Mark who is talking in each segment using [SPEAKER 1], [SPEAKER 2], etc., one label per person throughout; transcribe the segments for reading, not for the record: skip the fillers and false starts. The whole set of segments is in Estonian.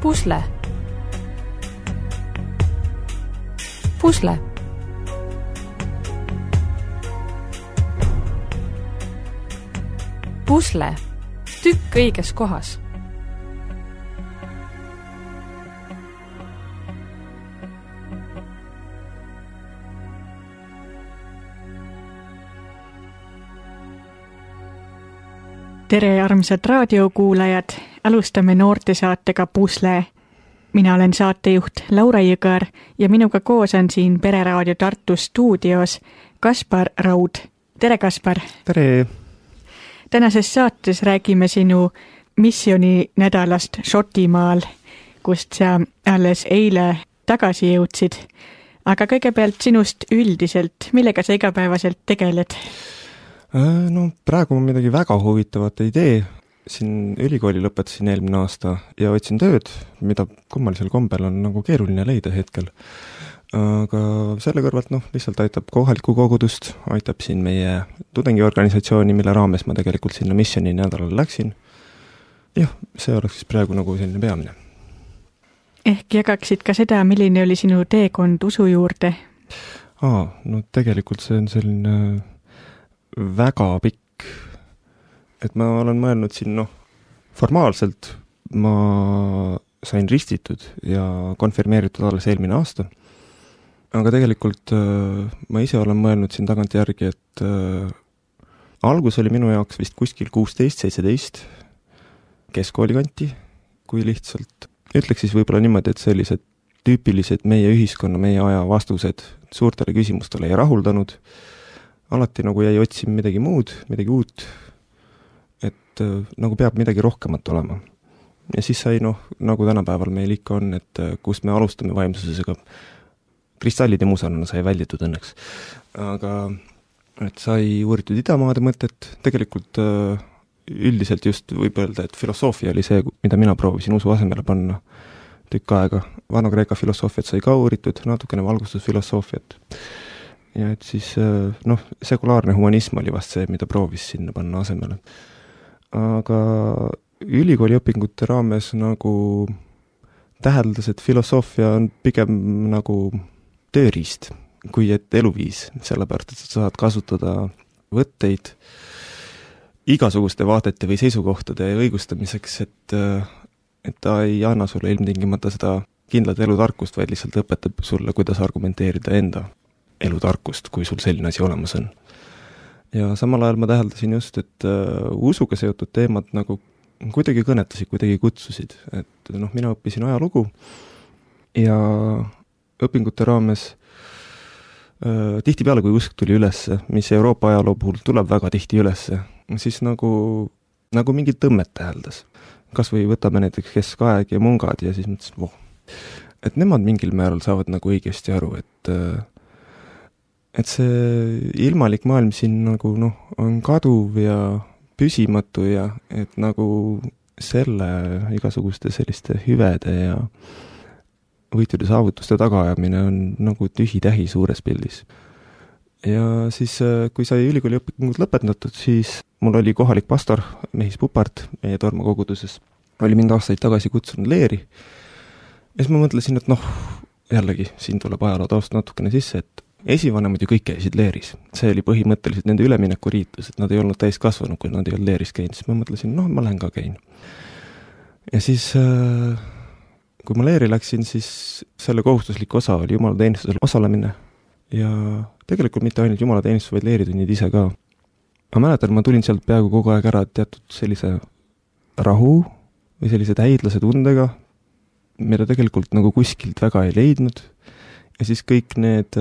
[SPEAKER 1] Pusle. Pusle. Pusle. Tükk õiges kohas.
[SPEAKER 2] Tere, armsad raadiokuulajad! Alustame noortesaatega Pusle. Mina olen saatejuht Laura Jõgar ja minuga koos on siin Pereraadio Tartu stuudios Kaspar Raud. Tere, Kaspar!
[SPEAKER 3] Tere!
[SPEAKER 2] Tänases saates räägime sinu missiooni nädalast Šotimaal, kust sa alles eile tagasi jõudsid. Aga kõigepealt sinust üldiselt, millega sa igapäevaselt tegeled?
[SPEAKER 3] No praegu ma midagi väga huvitavat ei tee. Siin ülikooli lõpetasin eelmine aasta ja otsin tööd, mida kummalisel kombel on nagu keeruline leida hetkel. Aga selle kõrvalt lihtsalt aitab kohalikku kogudust, aitab siin meie tudengiorganisatsiooni, mille raames ma tegelikult sinna missiooni nädalal läksin. Jah, see oleks siis praegu nagu selline peamine.
[SPEAKER 2] Ehk jagaksid ka seda, milline oli sinu teekond usu juurde?
[SPEAKER 3] Tegelikult see on selline väga pikk, et ma olen mõelnud siin, formaalselt ma sain ristitud ja konfirmeeritud alles eelmine aasta, aga tegelikult ma ise olen mõelnud siin tagant järgi, et algus oli minu jaoks vist kuskil 16-17 keskkooli kanti, kui lihtsalt ütleks siis võib-olla niimoodi, et sellised tüüpilised meie ühiskonna, meie aja vastused suurtele küsimustele ei rahuldanud. Alati nagu jäi otsima midagi muud, midagi uut, et nagu peab midagi rohkemat olema. Ja siis sai, nagu tänapäeval meil ikka on, et kus me alustame vaimsusesega, kristallide muusarana sai välditud õnneks. Aga et sai uuritud idamaade mõtet, tegelikult üldiselt just võib öelda, et filosoofia oli see, mida mina proovisin usu asemele panna tükk aega. Vana-Kreeka filosoofiat sai ka uuritud, natukene valgustusfilosoofiat. Ja et siis, sekulaarne humanism oli vast see, mida proovis sinna panna asemele. Aga ülikooli õpingute raames nagu täheldas, et filosoofia on pigem nagu tööriist, kui et eluviis, sellepärast, et sa saad kasutada võtteid igasuguste vaadete või seisukohtade õigustamiseks, et ta ei anna sulle ilmtingimata seda kindlat elutarkust, vaid lihtsalt õpetab sulle, kuidas argumenteerida enda elutarkust, kui sul selline asi olemas on. Ja samal ajal ma täheldasin just, et usuga seotud teemad nagu kuidagi kõnetasid, kuidagi kutsusid. Et mina õppisin ajalugu ja õpingute raames tihtipeale, kui usk tuli ülesse, mis Euroopa ajaloo puhul tuleb väga tihti ülesse, siis nagu mingit tõmmet täheldas. Kas või võtame näiteks keskaeg ja mungad ja siis mõtlesin, et nemad mingil määral saavad nagu õigesti aru, et see ilmalik maailm siin nagu on kaduv ja püsimatu ja et nagu selle igasuguste selliste hüvede ja võitude saavutuste tagaajamine on nagu tühi-tähi suures pildis. Ja siis, kui sai ülikooli õpingud lõpetatud, siis mul oli kohalik pastor, Mehis Pupart, meie Torma koguduses, oli mind aastaid tagasi kutsunud leeri. Ja siis ma mõtlesin, et jällegi, siin tuleb ajaloo taust natukene sisse, et esivanemad ju kõik käisid leeris. See oli põhimõtteliselt nende üleminekuriitlus, et nad ei olnud täiskasvanud, kui nad ei olnud leeris käinud. Siis ma mõtlesin, ma lähen ka käin. Ja siis, kui ma leeri läksin, siis selle kohustuslik osa oli jumalateenistusel osalemine. Ja tegelikult mitte ainult jumalateenistus, vaid leeritunnid ise ka. Ma mäletan, ma tulin sealt peaaegu kogu aeg ära teatud sellise rahu või sellise täidlase tundega, mida tegelikult nagu kuskilt väga ei leidnud. Ja siis kõik need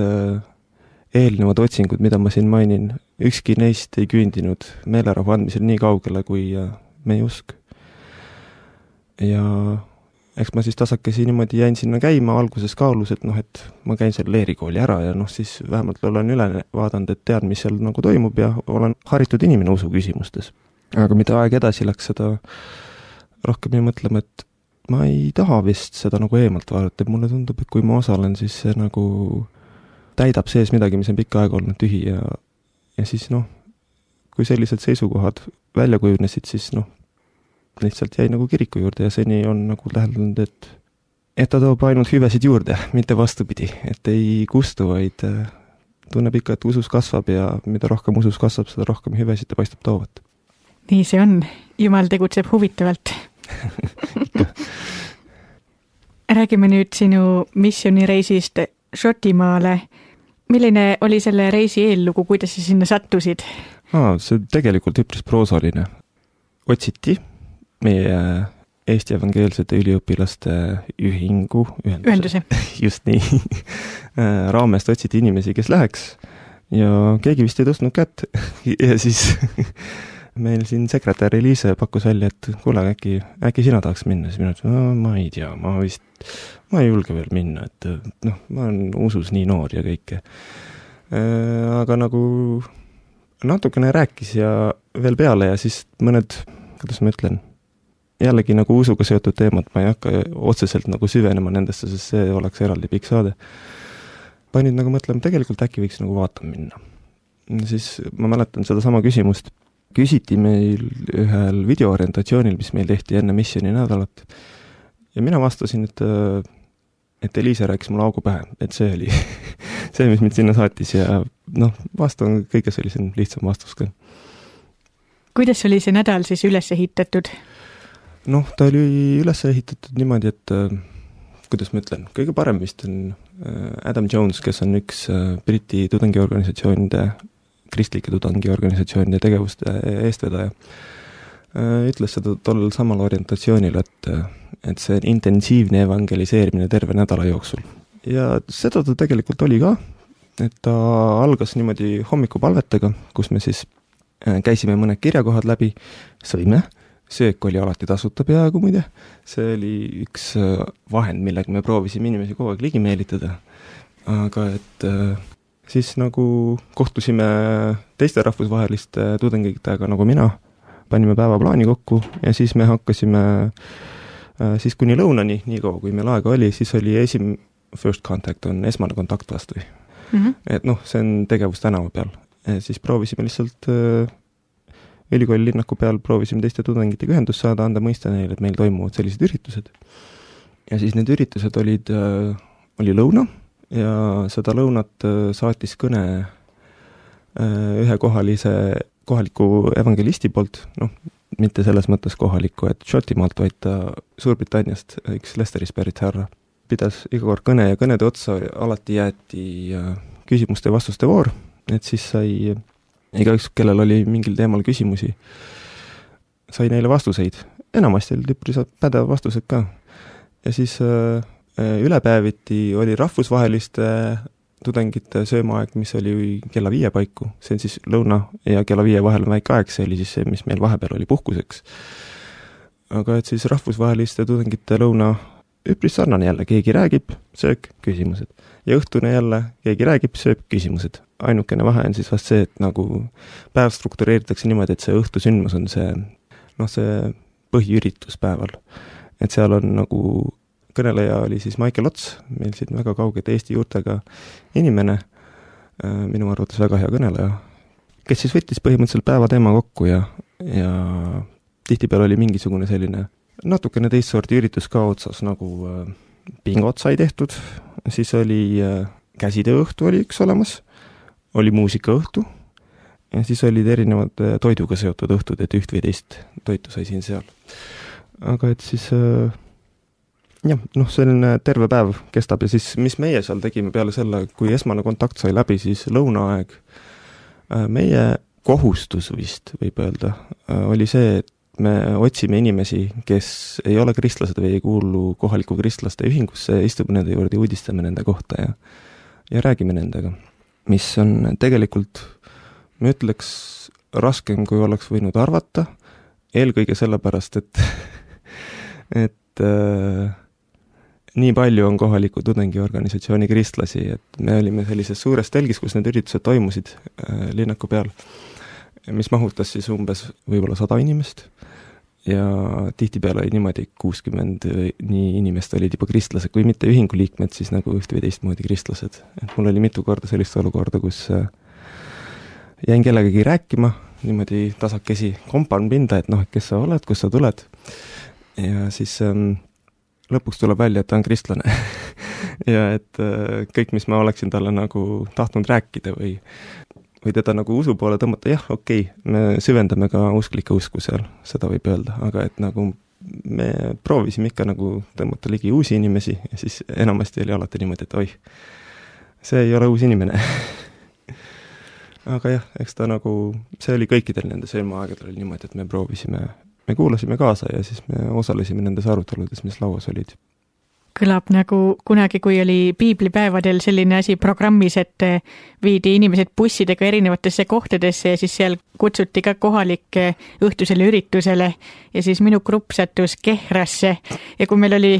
[SPEAKER 3] eelnevad otsingud, mida ma siin mainin, ükski neist ei küündinud meelerahu andmisel nii kaugele kui meie usk. Ja eks ma siis tasakesi niimoodi jäin sinna käima, alguses kaalus, et ma käin selle leerikooli ära ja siis vähemalt olen üle vaadanud, et tean, mis seal nagu toimub ja olen haritud inimene usu küsimustes. Aga mida aeg edasi läks, seda rohkem ei mõtlema, et ma ei taha vist seda nagu eemalt vaadata, et mulle tundub, et kui ma osalen, siis see nagu täidab sees midagi, mis on pikka aega olnud tühi ja siis kui sellised seisukohad välja kujunesid, siis lihtsalt jäi nagu kiriku juurde ja seni on nagu täheldanud, et ta toob ainult hüvesid juurde, mitte vastupidi, et ei kustu, vaid tunneb ikka, et usus kasvab ja mida rohkem usus kasvab, seda rohkem hüvesid ta paistab toovat.
[SPEAKER 2] Nii see on. Jumal tegutseb huvitavalt. Räägime nüüd sinu missioonireisist Šotimaale. Milline oli selle reisi eellugu, kuidas sa sinna sattusid?
[SPEAKER 3] See tegelikult üpris proosaline. Otsiti meie Eesti evangeelsete üliõpilaste ühenduse. Just nii. Raamest otsiti inimesi, kes läheks ja keegi vist ei tõstnud kätt ja siis meil siin sekretär Eliise pakkus välja, et kuule, äkki sina tahaks minna, siis mina ütlesin, ma ei tea, ma ei julge veel minna, et ma olen usus nii noor ja kõike. Aga nagu natukene rääkis ja veel peale ja siis mõned, kuidas ma ütlen, jällegi nagu usuga seotud teemad, ma ei hakka otseselt nagu süvenema nendesse, sest see oleks eraldi pikk saade. Panid nagu mõtlema, tegelikult äkki võiks nagu vaatama minna. Siis ma mäletan seda sama küsimust. Küsiti meil ühel videoorientatsioonil, mis meil tehti enne missiooni nädalat. Ja mina vastasin, et Eliise rääkis mulle augu pähe, et see oli see, mis mind sinna saatis ja vastan kõige sellisem lihtsam vastus ka.
[SPEAKER 2] Kuidas oli see nädal siis üles ehitatud?
[SPEAKER 3] Ta oli üles ehitatud niimoodi, et kuidas ma ütlen, kõige parem vist on Adam Jones, kes on üks Briti tudengiorganisatsioonide, kristlike tudengiorganisatsioonide tegevuste eestvedaja, ütles seda tollel samal orientatsioonil, et see on intensiivne evangeliseerimine terve nädala jooksul. Ja seda ta tegelikult oli ka, et ta algas niimoodi hommikupalvetega, kus me siis käisime mõned kirjakohad läbi, sõime, söök oli alati tasuta peaaegu muide, see oli üks vahend, millega me proovisime inimesi kogu aeg ligi meelitada, aga et siis nagu kohtusime teiste rahvusvaheliste tudengitega nagu mina, panime päevaplaani kokku ja siis me hakkasime siis kuni lõunani, nii kaua kui meil aega oli, siis oli first contact on esmane kontakt vastu. Et see on tegevus tänava peal. Siis proovisime lihtsalt ülikooli linnaku peal, proovisime teiste tudengitega ühendust saada, anda mõista neile, et meil toimuvad sellised üritused. Ja siis need üritused oli lõuna ja seda lõunat saatis kõne ühe kohaliku evangelisti poolt, mitte selles mõttes kohaliku, et Šotimaalt, vaid ta Suurbritanniast, üks Lesteris pärit härra, pidas iga kord kõne ja kõnede otsa alati jäeti küsimuste ja vastuste voor, et siis sai igaüks, kellel oli mingil teemal küsimusi, sai neile vastuseid. Enamasti oli üpris pädev vastused ka. Ja siis ülepäeviti oli rahvusvaheliste tudengite söömaaeg, mis oli kella 5 paiku. See on siis lõuna ja kella 5 vahel on väike aeg, see oli siis see, mis meil vahepeal oli puhkuseks. Aga et siis rahvusvaheliste tudengite lõuna üpris sarnane jälle, keegi räägib, söök, küsimused. Ja õhtune jälle, keegi räägib, sööb, küsimused. Ainukene vahe on siis vast see, et nagu päev struktureeritakse niimoodi, et see õhtusündmus on see põhiüritus päeval. Et seal on nagu kõneleja oli siis Michael Ots, meil siin väga kauged Eesti juurtega inimene, minu arvates väga hea kõneleja, kes siis võttis põhimõtteliselt päeva teema kokku ja tihtipeal oli mingisugune selline natukene teist sorti üritus ka otsas, nagu pingot sai tehtud, siis oli käsitööõhtu oli üks olemas, oli muusikaõhtu ja siis olid erinevad toiduga seotud õhtud, et üht või teist toitu sai siin seal. Aga et siis selline terve päev kestab ja siis, mis meie seal tegime peale selle, kui esmane kontakt sai läbi, siis lõunaaeg meie kohustus vist, võib öelda, oli see, et me otsime inimesi, kes ei ole kristlased või ei kuulu kohaliku kristlaste ühingusse, istume nende juurde ja uudistame nende kohta ja räägime nendega. Mis on tegelikult, ma ütleks, raskem, kui oleks võinud arvata, eelkõige sellepärast, et nii palju on kohaliku tudengiorganisatsiooni kristlasi, et me olime sellises suures telgis, kus need üritused toimusid linnaku peal, mis mahutas siis umbes võib-olla 100 inimest ja tihtipeale oli niimoodi 60 nii inimest olid juba kristlased, kui mitte ühingu liikmed, siis nagu üht või teistmoodi kristlased. Et mul oli mitu korda sellist olukorda, kus jäin kellegagi rääkima niimoodi tasakesi kompan pinda, et noh, et kes sa oled, kust sa tuled. Ja siis lõpuks tuleb välja, et ta on kristlane ja et kõik, mis ma oleksin talle nagu tahtnud rääkida või teda nagu usu poole tõmmata, jah, okei, me süvendame ka usklike usku seal, seda võib öelda, aga et nagu me proovisime ikka nagu tõmmata ligi uusi inimesi ja siis enamasti oli alati niimoodi, et oih, see ei ole uus inimene aga jah, eks ta nagu, see oli kõikidel nende sõlmaaegadel oli niimoodi, et me kuulasime kaasa ja siis me osalesime nendes aruteludes, mis lauas olid.
[SPEAKER 2] Kõlab nagu kunagi, kui oli piiblipäevadel selline asi programmis, et viidi inimesed bussidega erinevatesse kohtadesse ja siis seal kutsuti ka kohalikke õhtusele üritusele ja siis minu grupp sattus Kehrasse ja kui meil oli,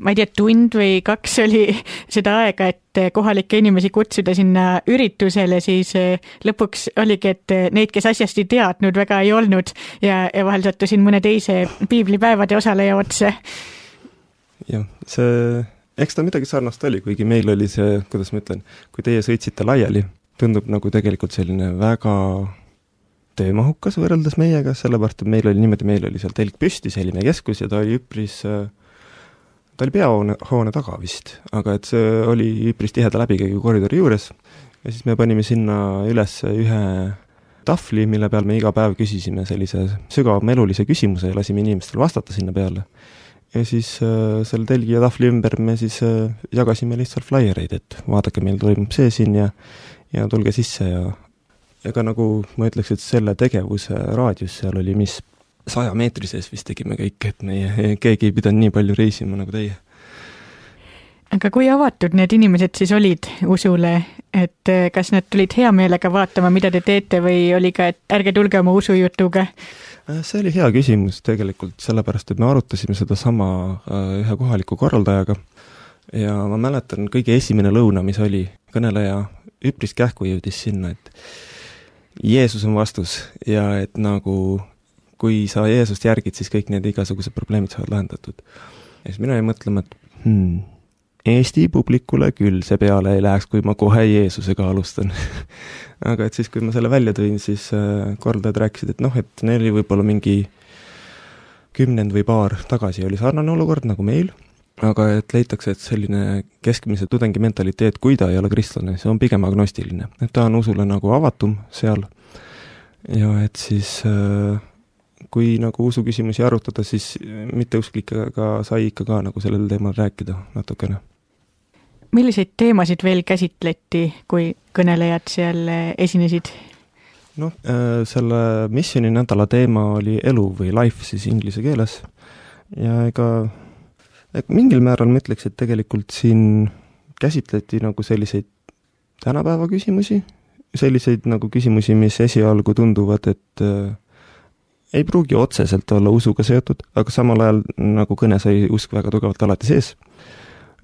[SPEAKER 2] ma ei tea, tund või 2 oli seda aega, et kohalikke inimesi kutsuda sinna üritusele, siis lõpuks oligi, et neid, kes asjast ei teadnud, väga ei olnud ja vahel sattusin mõne teise piiblipäevade osaleja otsa.
[SPEAKER 3] Jah, eks ta midagi sarnast oli, kuigi meil oli see, kuidas ma ütlen, kui teie sõitsite laiali, tundub nagu tegelikult selline väga töömahukas võrreldes meiega, sellepärast, et meil oli seal telk püsti, selline keskus ja ta oli peahoone taga vist, aga et see oli üpris tiheda läbikäigu koridori juures ja siis me panime sinna üles ühe tahvli, mille peal me iga päev küsisime sellise sügavama elulise küsimuse ja lasime inimestel vastata sinna peale. Ja siis selle telgi ja tahvli ümber me siis jagasime lihtsalt flaiereid, et vaadake, meil toimub see siin ja tulge sisse ja ka nagu ma ütleks, et selle tegevuse raadius seal oli 100 meetri sees vist tegime kõik, et keegi ei pidanud nii palju reisima nagu teie.
[SPEAKER 2] Aga kui avatud need inimesed siis olid usule, et kas nad tulid hea meelega vaatama, mida te teete või oli ka, et ärge tulge oma usujutuga?
[SPEAKER 3] See oli hea küsimus tegelikult, sellepärast, et me arutasime seda sama ühe kohaliku korraldajaga ja ma mäletan kõige esimene lõuna, mis oli, kõneleja üpris kähku jõudis sinna, et Jeesus on vastus ja et nagu kui sa Jeesust järgid, siis kõik need igasugused probleemid saavad lahendatud. Ja siis mina jäin mõtlema, et Eesti publikule küll see peale ei läheks, kui ma kohe Jeesusega alustan. Aga et siis, kui ma selle välja tõin, siis korraldajad rääkisid, et noh, et neil oli võib-olla mingi 10 või paar tagasi oli sarnane olukord nagu meil, aga et leitakse, et selline keskmise tudengi mentaliteet, kui ta ei ole kristlane, see on pigem agnostiline. Et ta on usule nagu avatum seal ja et siis kui nagu usuküsimusi arutada, siis mitteusklikega sai ikka ka nagu sellel teemal rääkida natukene.
[SPEAKER 2] Milliseid teemasid veel käsitleti, kui kõnelejad seal esinesid?
[SPEAKER 3] Noh, selle missiooni nädala teema oli elu või life siis inglise keeles ja ega mingil määral ma ütleks, et tegelikult siin käsitleti nagu selliseid tänapäeva küsimusi, selliseid nagu küsimusi, mis esialgu tunduvad, et ei pruugi otseselt olla usuga seotud, aga samal ajal nagu kõne sai usk väga tugevalt alati sees.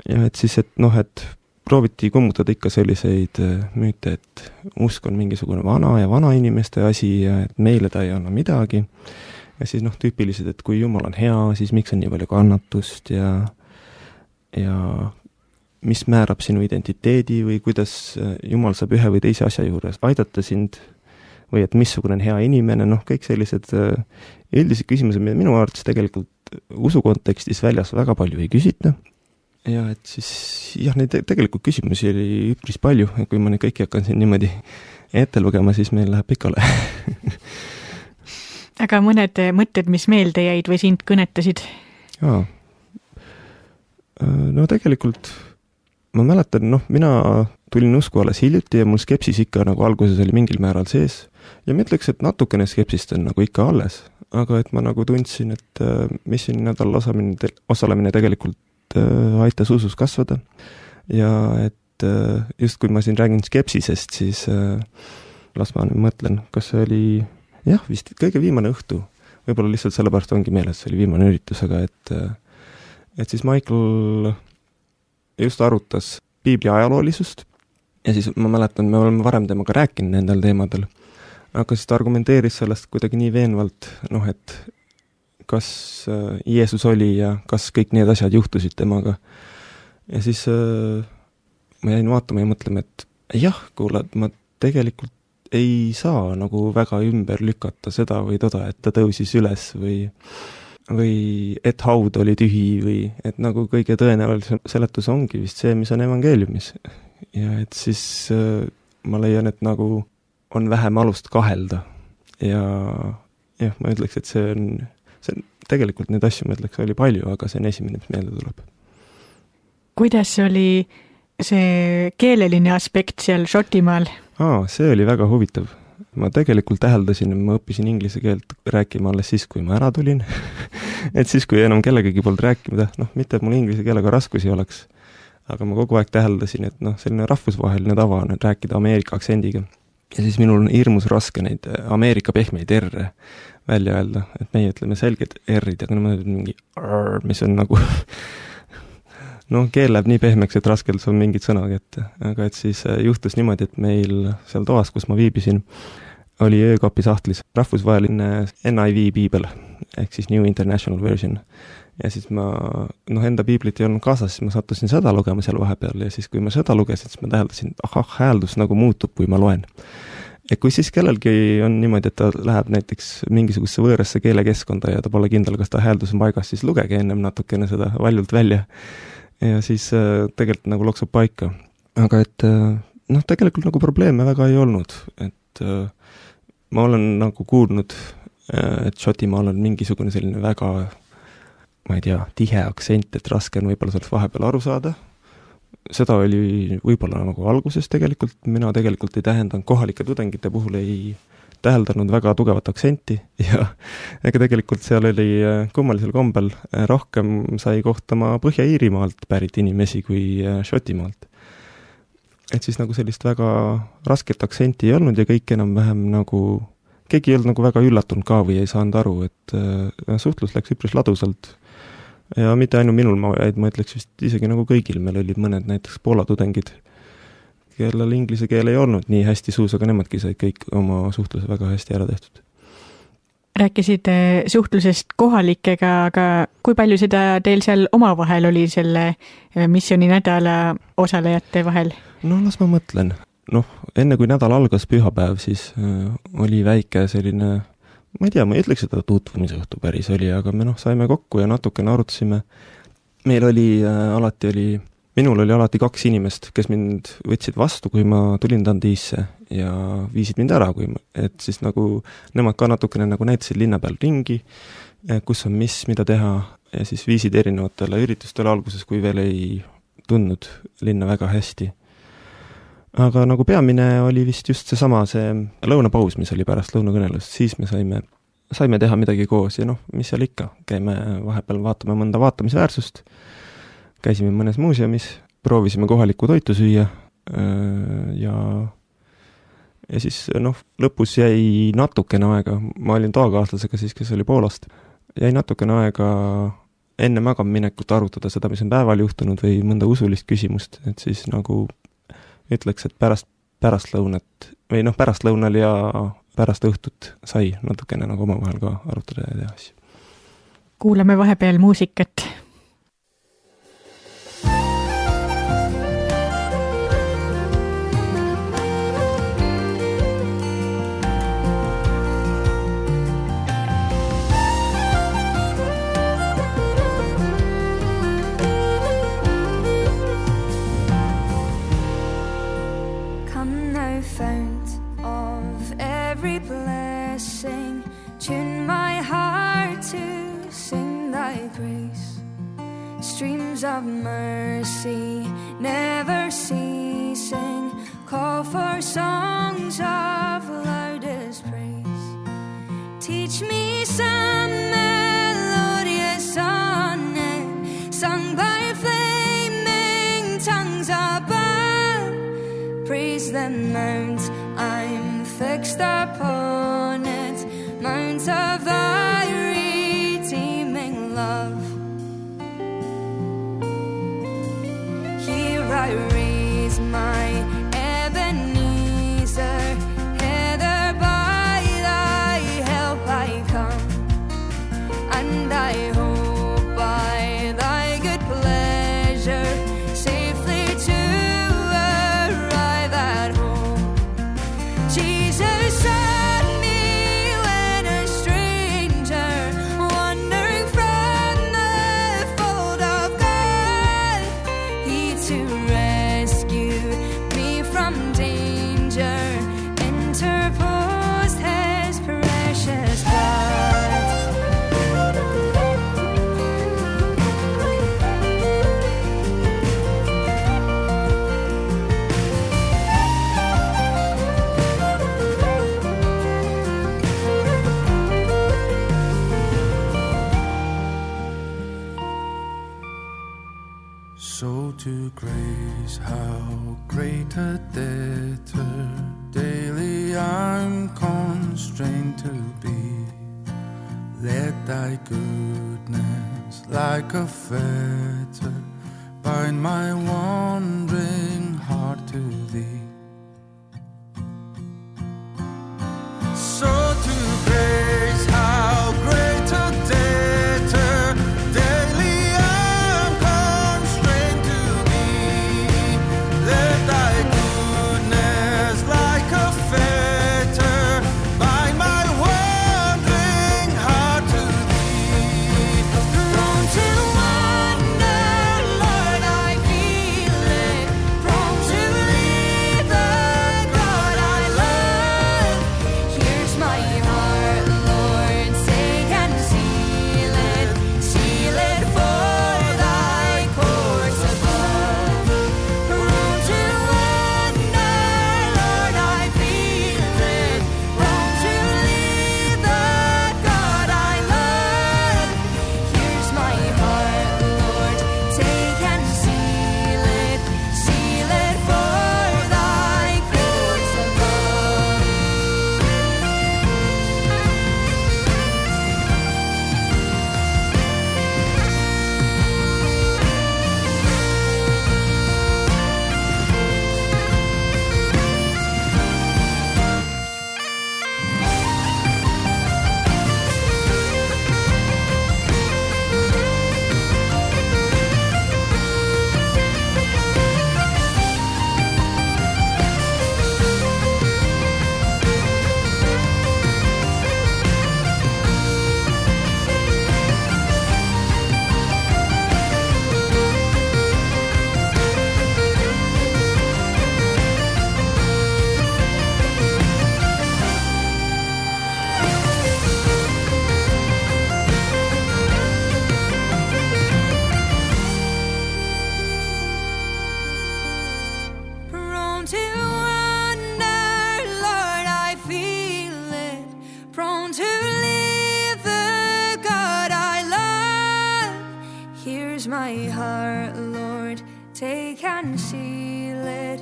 [SPEAKER 3] Ja et siis, et noh, et prooviti kummutada ikka selliseid müüte, et usk on mingisugune vana ja vana inimeste asi ja et meile ta ei anna midagi. Ja siis noh, tüüpilised, et kui Jumal on hea, siis miks on nii palju kannatust ja mis määrab sinu identiteedi või kuidas Jumal saab ühe või teise asja juures aidata sind või et missugune on hea inimene, noh, kõik sellised üldised küsimused, mida minu arvates tegelikult usu kontekstis väljas väga palju ei küsita. Ja et siis, jah, neid tegelikult küsimusi oli üpris palju, kui ma neid kõiki hakkan siin niimoodi ette lugema, siis meil läheb pikale.
[SPEAKER 2] Aga mõned mõtted, mis meelde jäid või sind kõnetasid?
[SPEAKER 3] Jaa. No tegelikult ma mäletan, noh, mina tulin usku alles hiljuti ja mul skepsis ikka nagu alguses oli mingil määral sees ja ma ütleks, et natukene skepsist on nagu ikka alles, aga et ma nagu tundsin, et missiooni nädalal osalemine tegelikult aitas usus kasvada ja et just kui ma siin räägin skepsisest, siis las ma mõtlen, kas see oli vist kõige viimane õhtu, võib-olla lihtsalt sellepärast ongi meeles, see oli viimane üritus, aga et siis Michael just arutas piibli ajaloolisust ja siis ma mäletan, me oleme varem temaga rääkinud nendel teemadel, aga siis ta argumenteeris sellest kuidagi nii veenvalt, noh, et kas Jeesus oli ja kas kõik need asjad juhtusid temaga. Ja siis ma jäin vaatama ja mõtlema, et jah, kuule, ma tegelikult ei saa nagu väga ümber lükata seda või toda, et ta tõusis üles või et haud oli tühi või et nagu kõige tõenäolisem seletus ongi vist see, mis on evangeeliumis. Ja et siis ma leian, et nagu on vähem alust kahelda ja jah, ma ütleks, et see on tegelikult neid asju, ma ütleks, oli palju, aga see on esimene, mis meelde tuleb.
[SPEAKER 2] Kuidas oli see keeleline aspekt seal Šotimaal?
[SPEAKER 3] See oli väga huvitav. Ma tegelikult täheldasin, ma õppisin inglise keelt rääkima alles siis, kui ma ära tulin. Et siis, kui enam kellegagi polnud rääkimida, mitte et mul inglise keelega raskusi oleks, aga ma kogu aeg täheldasin, et selline rahvusvaheline tava on rääkida Ameerika aktsendiga. Ja siis minul on hirmus raske neid Ameerika pehmeid R-e välja öelda, et meie ütleme selged R-id, aga ma ütlen mingi R, mis on nagu keel läheb nii pehmeks, et raskelt on mingid sõnagi ette. Aga et siis juhtus niimoodi, et meil seal toas, kus ma viibisin, oli öökapi sahtlis rahvusvaheline NIV piibel, ehk siis New International Version. Ja siis ma, enda piiblit ei olnud kaasas, siis ma sattusin seda lugema seal vahepeal ja siis, kui ma seda lugesin, siis ma täheldasin, hääldus nagu muutub, kui ma loen. Ja kui siis kellelgi on niimoodi, et ta läheb näiteks mingisugusesse võõrasse keelekeskkonda ja ta pole kindel, kas ta hääldus on paigas, siis lugege ennem natukene seda valjult välja. Ja siis tegelikult nagu loksub paika. Aga et tegelikult nagu probleeme väga ei olnud. Et ma olen nagu kuulnud, et Šotimaal on mingisugune selline väga, ma ei tea, tihe aktsent, et raske on võib-olla sellest vahepeal aru saada. Seda oli võib-olla nagu alguses tegelikult. Mina tegelikult ei tähendanud kohalike tudengite puhul ei täheldanud väga tugevat aktsenti ja ega tegelikult seal oli kummalisel kombel rohkem sai kohtama Põhja-Iirimaalt pärit inimesi kui Šotimaalt. Et siis nagu sellist väga rasket aktsenti ei olnud ja kõik enam-vähem nagu, keegi ei olnud nagu väga üllatunud ka või ei saanud aru, et suhtlus läks üpris ladusalt. Ja mitte ainult minul, ma ütleks vist isegi nagu kõigil, meil olid mõned näiteks Poola tudengid, kellel inglise keel ei olnud nii hästi suus, aga nemadki said kõik oma suhtluse väga hästi ära tehtud.
[SPEAKER 2] Rääkisid suhtlusest kohalikega, aga kui palju seda teil seal omavahel oli selle missiooni nädala osalejate vahel?
[SPEAKER 3] Las ma mõtlen. Enne kui nädal algas pühapäev, siis oli väike selline, ma ei tea, ma ei ütleks seda tutvumise õhtu päris oli, aga me saime kokku ja natukene arutasime. Minul oli alati 2 inimest, kes mind võtsid vastu, kui ma tulin Dundeesse ja viisid mind ära, et siis nagu nemad ka natukene nagu näitasid linna peal ringi, kus on mida teha ja siis viisid erinevatele üritustele alguses, kui veel ei tundnud linna väga hästi. Aga nagu peamine oli vist just see lõunapaus, mis oli pärast lõunakõnelust, siis me saime teha midagi koos ja mis seal ikka, käime vahepeal vaatame mõnda vaatamisväärsust, käisime mõnes muuseumis, proovisime kohalikku toitu süüa ja siis lõpus jäi natukene aega, ma olin toakaaslasega siis, kes oli Poolast, jäi natukene aega enne magamaminekut arutada seda, mis on päeval juhtunud või mõnda usulist küsimust, et siis nagu ütleks, et pärastlõunal ja pärast õhtut sai natukene nagu omavahel ka arutada ja teha asju.
[SPEAKER 2] Kuulame vahepeal muusikat.
[SPEAKER 4] Streams of mercy never ceasing, call for songs of loudest praise. Teach me some melodious sonnet sung by flaming tongues above. Praise the mount I'm fixed upon it, mount of thy redeeming love. I raise my Ebenezer, hither by thy help I come, and I hope by thy good pleasure safely to arrive at home. Jesus
[SPEAKER 5] So to grace, how great a debtor daily I'm constrained to be. Let thy goodness like a fetter bind my wandering heart to thee. So to grace, how great a debtor daily I'm constrained to be. Let thy goodness like a fetter bind my wandering heart to thee.
[SPEAKER 4] Prone to wander, Lord, I feel it. Prone to leave the God I love. Here's my heart, Lord, take and seal it for thy courts above. Prone to wander, Lord, I feel it. Prone to leave the God I love. Here's my heart, Lord, take and seal it for thy courts above. Prone to wander, Lord, I feel it. Prone to leave the God I love. Here's my heart, Lord, take and seal it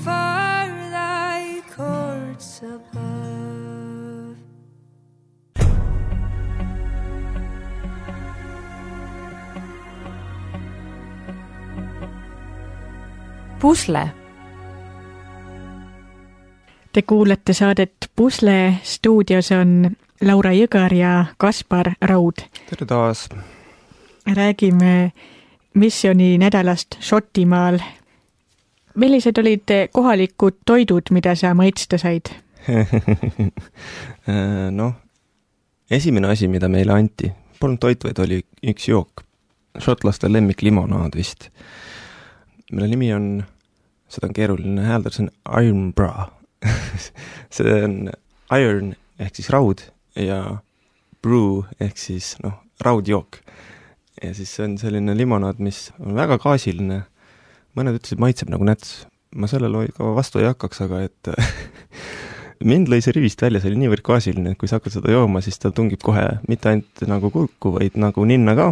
[SPEAKER 4] for thy courts above.
[SPEAKER 1] Pusle.
[SPEAKER 2] Te kuulate saadet Pusle, stuudios on Laura Jõgar ja Kaspar Raud.
[SPEAKER 3] tere taas!
[SPEAKER 2] Räägime missiooni nädalast Šotimaal. Millised olid kohalikud toidud, mida sa maitsta said?
[SPEAKER 3] Noh, esimene asi, mida meile anti, polnud toit, vaid oli üks jook. Šotlaste lemmik limonaad vist. Mille nimi on, seda on keeruline hääldada, see on Iron Bra. See on iron ehk siis raud ja brew ehk siis raudjook. Ja siis see on selline limonaad, mis on väga gaasiline. Mõned ütlesid, maitseb nagu näts. Ma sellele ka vastu ei hakkaks, aga et mind lõi see rivist välja, see oli niivõrd gaasiline, et kui sa hakkad seda jooma, siis ta tungib kohe mitte ainult nagu kurku, vaid nagu ninna ka.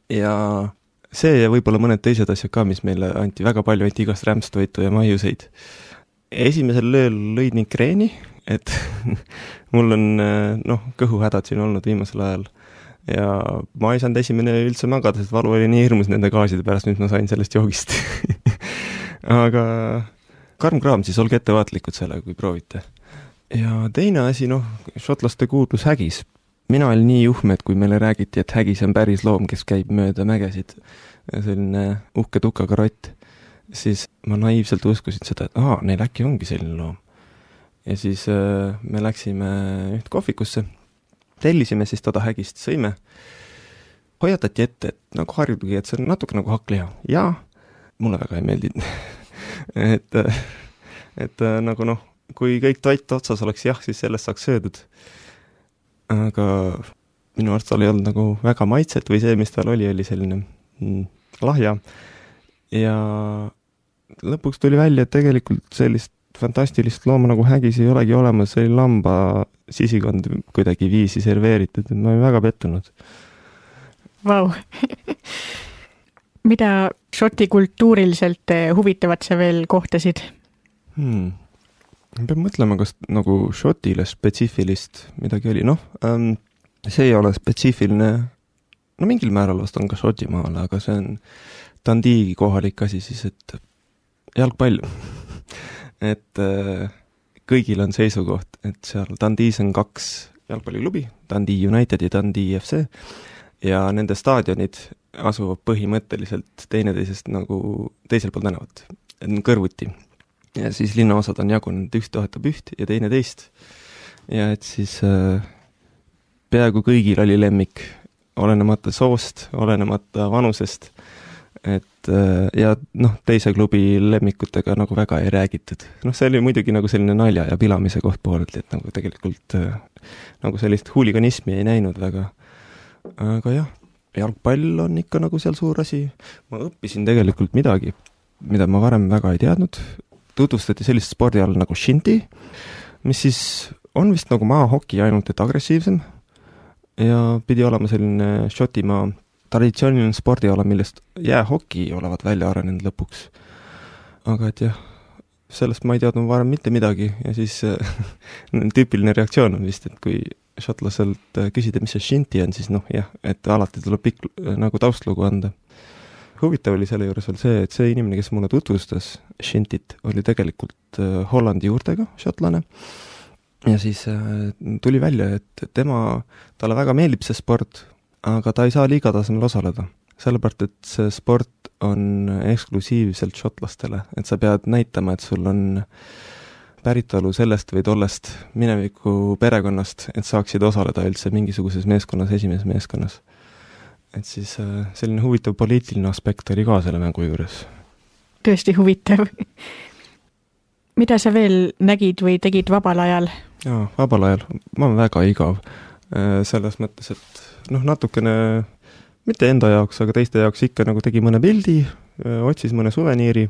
[SPEAKER 3] Ja see ja võib-olla mõned teised asjad ka, mis meile anti väga palju, anti igast rämpstoitu ja maiuseid. Esimesel lööl lõid ning kreeni, et mul on kõhuhädad siin olnud viimasel ajal ja ma ei saanud esimene üldse magada, sest valu oli nii hirmus nende gaaside pärast, mis ma sain sellest joogist. Aga karm kraam, siis olge ettevaatlikud sellega, kui proovite. Ja teine asi, šotlaste kuulus hägis. Mina olin nii juhme, et kui meile räägiti, et hägis on päris loom, kes käib mööda mägesid, selline uhke tukaga rott, siis ma naiivselt uskusin seda, et neil äkki ongi selline loom. Ja siis me läksime üht kohvikusse, tellisime siis toda hägist, sõime. Hoiatati ette, et nagu harjugi, et see on natuke nagu hakkliha. Ja mulle väga ei meeldinud. et nagu kui kõik toit otsas oleks jah, siis sellest saaks söödud. Aga minu arust tal ei olnud nagu väga maitset või see, mis tal oli selline lahja. Ja lõpuks tuli välja, et tegelikult sellist fantastilist looma nagu hägis ei olegi olemas, see oli lamba sisikond kuidagi viisi serveeritud, et ma olin väga pettunud.
[SPEAKER 2] Vau! mida Šoti kultuuriliselt huvitavat sa veel kohtasid?
[SPEAKER 3] Ma pean mõtlema, kas nagu Šotile spetsiifilist midagi oli. See ei ole spetsiifiline, mingil määral vast on ka Šotimaal, aga see on Dundee kohalik asi siis, et jalgpall. et kõigil on seisukoht, et seal Dundees on 2 jalgpalliklubi, Dundee United ja Dundee FC, ja nende staadionid asuvad põhimõtteliselt teineteisest nagu teisel pool tänavat, kõrvuti. Ja siis linnaosad on jagunud, üks toetab üht ja teine teist. Ja et siis peaaegu kõigil oli lemmik, olenemata soost, olenemata vanusest, et ja teise klubi lemmikutega nagu väga ei räägitud. See oli muidugi nagu selline nalja ja pilamise koht poolelt, et nagu tegelikult nagu sellist huuliganismi ei näinud väga. Aga jah, jalgpall on ikka nagu seal suur asi. Ma õppisin tegelikult midagi, mida ma varem väga ei teadnud. Tutvustati sellist spordiala nagu shinty, mis siis on vist nagu maahoki, ainult et agressiivsem. Ja pidi olema selline Šotimaa traditsiooniline spordiala, millest jäähoki olevat välja arenenud lõpuks. Aga et jah, sellest ma ei teadnud varem mitte midagi ja siis tüüpiline reaktsioon on vist, et kui šotlaselt küsida, mis see shinty on, siis et alati tuleb pikk nagu taustlugu anda. Huvitav oli selle juures veel see, et see inimene, kes mulle tutvustas shintyt, oli tegelikult Hollandi juurtega šotlane. Ja siis tuli välja, et talle väga meeldib see sport, aga ta ei saa liigatasemel osaleda. Sellepärast, et see sport on eksklusiivselt šotlastele, et sa pead näitama, et sul on päritolu sellest või tollest mineviku perekonnast, et saaksid osaleda üldse mingisuguses meeskonnas, esimeses meeskonnas. Et siis selline huvitav poliitiline aspekt oli ka selle mängu juures.
[SPEAKER 2] Tõesti huvitav. Mida sa veel nägid või tegid vabal ajal?
[SPEAKER 3] Jaa, vabal ajal. Ma olen väga igav. Selles mõttes, et natukene, mitte enda jaoks, aga teiste jaoks ikka nagu tegi mõne pildi, otsis mõne suveniiri.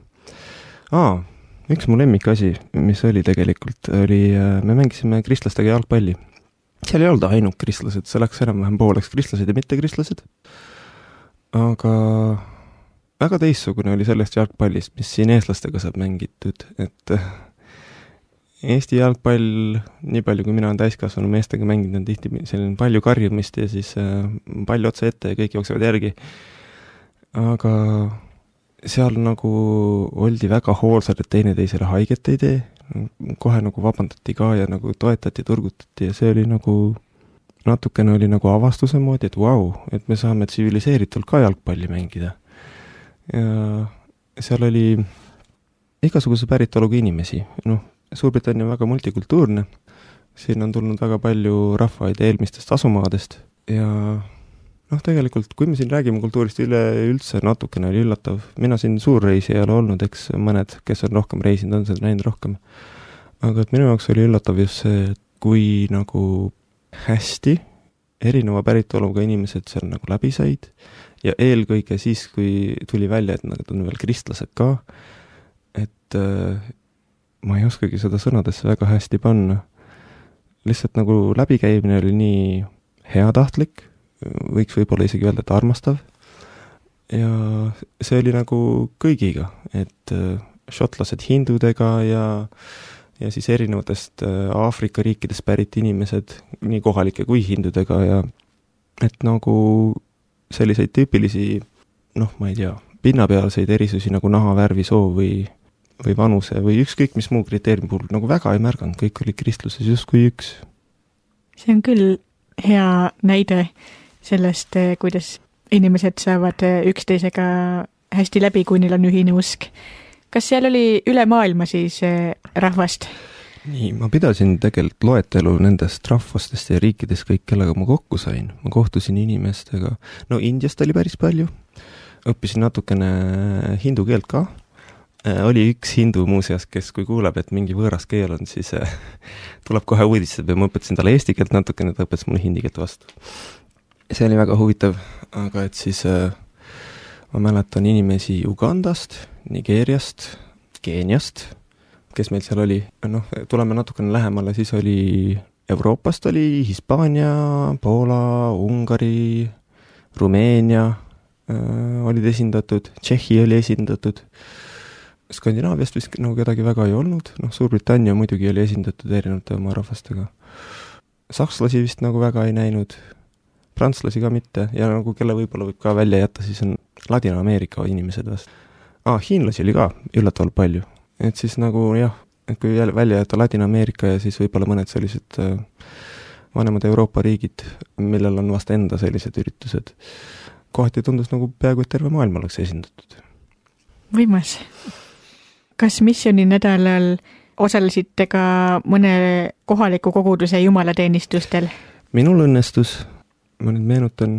[SPEAKER 3] Üks mu lemmikasi, mis oli tegelikult, me mängisime kristlastega jalgpalli. Seal ei olnud ainult kristlased, see läks enam-vähem pooleks kristlased ja mitte kristlased. Aga väga teissugune oli sellest jalgpallist, mis siin eestlastega saab mängitud, et Eesti jalgpall, nii palju kui mina olen täiskasvanu meestega mänginud, on tihti selline palju karjumist ja siis palju otsa ette ja kõik jooksevad järgi. Aga seal nagu oldi väga hoolsad, et teineteisele haiget ei tee. Kohe nagu vabandati ka ja nagu toetati, turgutati ja see oli nagu, natukene oli nagu avastuse moodi, et et me saame tsiviliseeritult ka jalgpalli mängida. Ja seal oli igasuguse päritoluga inimesi, Suurbritannia on väga multikultuurne, siin on tulnud väga palju rahvaid eelmistest asumaadest ja tegelikult, kui me siin räägime kultuurist üleüldse, natukene oli üllatav. Mina siin suurreisi ei ole olnud, eks mõned, kes on rohkem reisinud, on seda näinud rohkem. Aga et minu jaoks oli üllatav just see, et kui nagu hästi erineva päritoluga inimesed seal nagu läbi said ja eelkõige siis, kui tuli välja, et nad on veel kristlased ka, et ma ei oskagi seda sõnadesse väga hästi panna. Lihtsalt nagu läbikäimine oli nii heatahtlik, võiks võib-olla isegi öelda, et armastav. Ja see oli nagu kõigiga, et šotlased hindudega ja siis erinevatest Aafrika riikidest pärit inimesed, nii kohalike kui hindudega ja et nagu selliseid tüüpilisi, ma ei tea, pinnapealseid erisusi nagu nahavärvi, soo või vanuse või ükskõik mis muu kriteeriumi puhul nagu väga ei märganud, kõik oli kristluses justkui üks.
[SPEAKER 2] See on küll hea näide sellest, kuidas inimesed saavad üksteisega hästi läbi, kui neil on ühine usk. Kas seal oli üle maailma siis rahvast?
[SPEAKER 3] Nii, ma pidasin tegelikult loetelu nendest rahvastest ja riikidest kõik, kellega ma kokku sain. Ma kohtusin inimestega, Indiast oli päris palju, õppisin natukene hindu keelt ka. Oli üks hindu muuseas, kes kui kuuleb, et mingi võõras keel on, siis tuleb kohe uudistab ja ma õpetasin talle eesti keelt natukene, ta õpetas mulle hindi keelt vastu. See oli väga huvitav, aga et siis ma mäletan inimesi Ugandast, Nigeeriast, Keeniast, kes meil seal oli. Tuleme natukene lähemale, siis oli Euroopast oli Hispaania, Poola, Ungari, Rumeenia, olid esindatud, Tšehhi oli esindatud, Skandinaaviast vist nagu kedagi väga ei olnud, noh, Suurbritannia muidugi oli esindatud erinevate oma rahvastega. Sakslasi vist nagu väga ei näinud, prantslasi ka mitte ja nagu kelle võib-olla võib ka välja jätta, siis on Ladina-Ameerika inimesed vast. Hiinlasi oli ka üllatavalt palju, et siis nagu jah, et kui välja jätta Ladina-Ameerika ja siis võib-olla mõned sellised vanemad Euroopa riigid, millel on vast enda sellised üritused, kohati tundus nagu peaaegu, et terve maailm oleks esindatud.
[SPEAKER 2] Võimas. Kas missiooni nädalal osalesite ka mõne kohaliku koguduse jumalateenistustel?
[SPEAKER 3] Minul õnnestus, ma nüüd meenutan,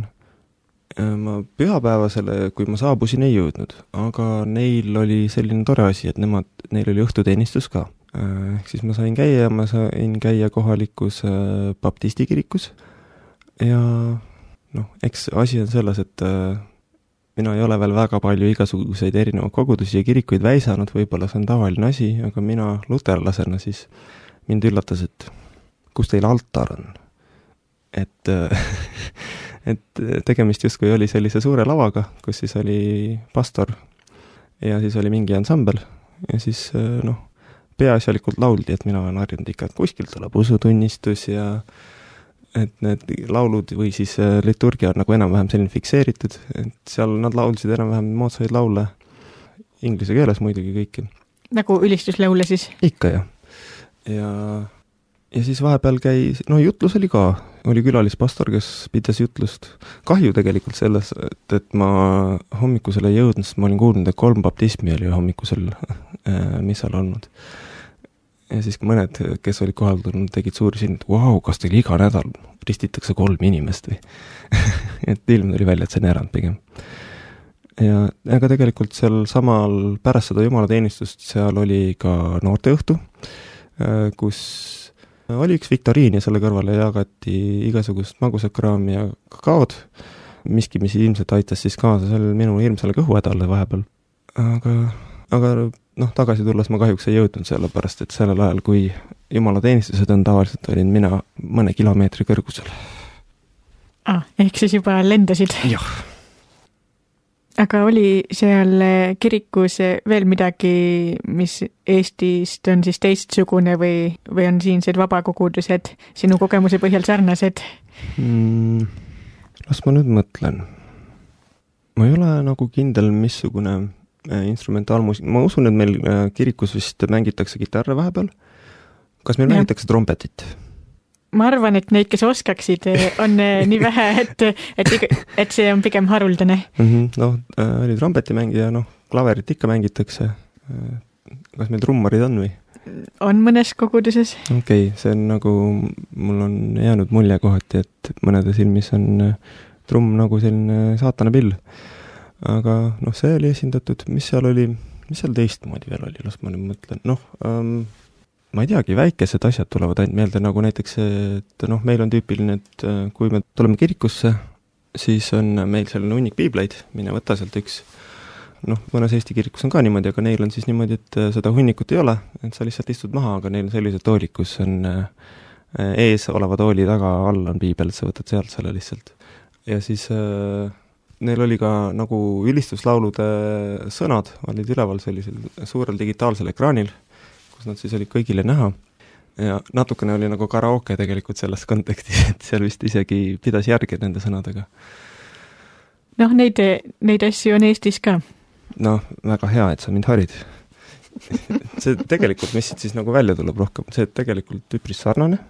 [SPEAKER 3] ma pühapäevasele, kui ma saabusin, ei jõudnud, aga neil oli selline tore asi, et neil oli õhtuteenistus ka. Ehk siis ma sain käia kohalikus baptistikirikus ja noh, eks asi on selles, et mina ei ole veel väga palju igasuguseid erinevaid kogudusi ja kirikuid väisanud, võib-olla see on tavaline asi, aga mina luterlasena siis mind üllatas, et kus teil altar on. Et tegemist justkui oli sellise suure lavaga, kus siis oli pastor ja siis oli mingi ansambel ja siis noh, peaasjalikult lauldi, et mina olen harjunud ikka, et kuskilt tuleb usutunnistus ja et need laulud või siis liturgia on nagu enam-vähem selline fikseeritud, et seal nad laulsid enam-vähem moodsaid laule, inglise keeles muidugi kõiki.
[SPEAKER 2] Nagu ülistuslaule siis?
[SPEAKER 3] Ikka jah. Ja siis vahepeal no jutlus oli ka, oli külalispastor, kes pidas jutlust. Kahju tegelikult selles, et ma hommikusele ei jõudnud, sest ma olin kuulnud, et 3 baptismi oli hommikusel missal olnud. Ja siis mõned, kes olid kohal tulnud, tegid suuri siin, et wow, kas teil iga nädal ristitakse 3 inimest või? Et ilm tuli välja, et see on erand pigem. Ja aga tegelikult seal samal pärast seda jumalateenistust seal oli ka noorteõhtu, kus oli üks viktoriin ja selle kõrvale jagati igasugust magusat kraami ja kakaod, miski, mis ilmselt aitas siis kaasa sellel minu hirmsale kõhuhädale vahepeal. Aga noh, tagasi tulles ma kahjuks ei jõudnud sellepärast, et sellel ajal, kui jumalateenistused on tavaliselt, olin mina mõne kilomeetri kõrgusel.
[SPEAKER 2] Ehk siis juba lendasid?
[SPEAKER 3] Jah.
[SPEAKER 2] Aga oli seal kirikus veel midagi, mis Eestist on siis teistsugune või on siinsed vabakogudused sinu kogemuse põhjal sarnased?
[SPEAKER 3] Las ma nüüd mõtlen. Ma ei ole nagu kindel, missugune instrumentaalmuusik. Ma usun, et meil kirikus vist mängitakse kitarre vahepeal. Kas meil mängitakse trompetit?
[SPEAKER 2] Ma arvan, et neid, kes oskaksid, on nii vähe, et see on pigem haruldane.
[SPEAKER 3] Noh, oli trompetimängija, noh, klaverit ikka mängitakse. Kas meil trummarid on või?
[SPEAKER 2] On mõnes koguduses.
[SPEAKER 3] Okei, see on nagu, mul on jäänud mulje kohati, et mõnede silmis on trumm nagu selline saatana pill. Aga noh, see oli esindatud, mis seal teistmoodi veel oli, las ma nüüd mõtlen. Noh, ma ei teagi, väikesed asjad tulevad ainult meelde, nagu näiteks, et noh, meil on tüüpiline, et kui me tuleme kirikusse, siis on meil selline hunnik piibleid, mine võta sealt üks. Noh, mõnes Eesti kirikus on ka niimoodi, aga neil on siis niimoodi, et seda hunnikut ei ole, et sa lihtsalt istud maha, aga neil on sellised toolid, kus on ees oleva tooli taga all on piibel, et sa võtad sealt selle lihtsalt. Ja siis neil oli ka nagu ülistuslaulude sõnad, olid üleval sellisel suurel digitaalsel ekraanil, kus nad siis olid kõigile näha. Ja natukene oli nagu karaoke tegelikult selles kontekstis, et seal vist isegi pidas järgi nende sõnadega.
[SPEAKER 2] Noh, neid asju on Eestis ka.
[SPEAKER 3] Noh, väga hea, et sa mind harid. See tegelikult, mis siis nagu välja tuleb rohkem, see tegelikult üpris sarnane,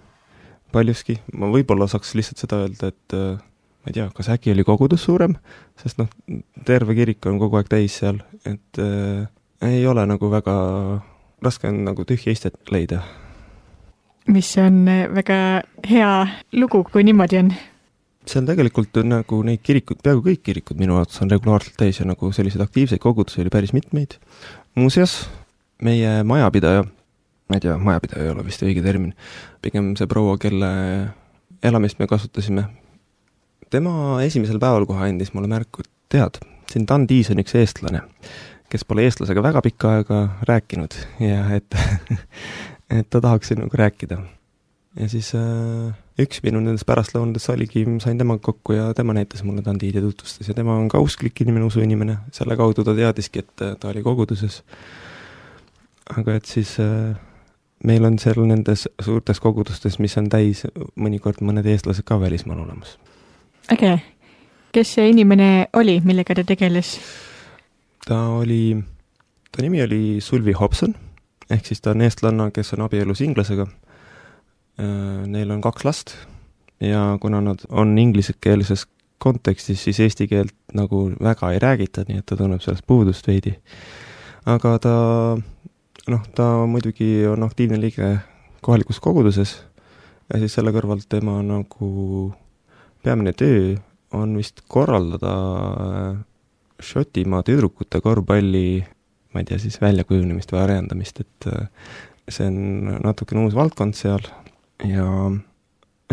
[SPEAKER 3] paljuski. Ma võib-olla saaks lihtsalt seda öelda, et ma ei tea, kas äkki oli kogudus suurem, sest noh, terve kirik on kogu aeg täis seal, et ei ole nagu väga raske on nagu tühja istet leida.
[SPEAKER 2] Mis on väga hea lugu, kui niimoodi on.
[SPEAKER 3] Seal tegelikult on nagu neid kirikud, peaaegu kõik kirikud minu arvates on regulaarselt täis ja nagu selliseid aktiivseid kogudusi oli päris mitmeid. Muuseas, meie majapidaja, ma ei tea, majapidaja ei ole vist õige termin, pigem see proua, kelle elamist me kasutasime, tema esimesel päeval kohe andis mulle märku, et tead, siin Tandis on üks eestlane, kes pole eestlasega väga pikka aega rääkinud ja et ta tahaks nagu rääkida. Ja siis üks minu nendest pärastlõunadest oligi, sain temaga kokku ja tema näitas mulle Dante'd ja tutvustas ja tema on ka usklik inimene, usuinimene, selle kaudu ta teadiski, et ta oli koguduses. Aga et siis meil on seal nendes suurtes kogudustes, mis on täis mõnikord mõned eestlased ka välismaal olemas.
[SPEAKER 2] Äge. Kes see inimene oli, millega ta tegeles?
[SPEAKER 3] Ta nimi oli Sulvi Hobson, ehk siis ta on eestlanna, kes on abielus inglasega. Neil on 2 last ja kuna nad on inglisekeelses kontekstis, siis eesti keelt nagu väga ei räägita, nii et ta tunneb sellest puudust veidi. Aga ta muidugi on aktiivne liige kohalikus koguduses ja siis selle kõrvalt tema nagu peamine töö on vist korraldada Šotimaa tüdrukute korvpalli, ma ei tea, siis väljakujunemist või arendamist, et see on natukene uus valdkond seal ja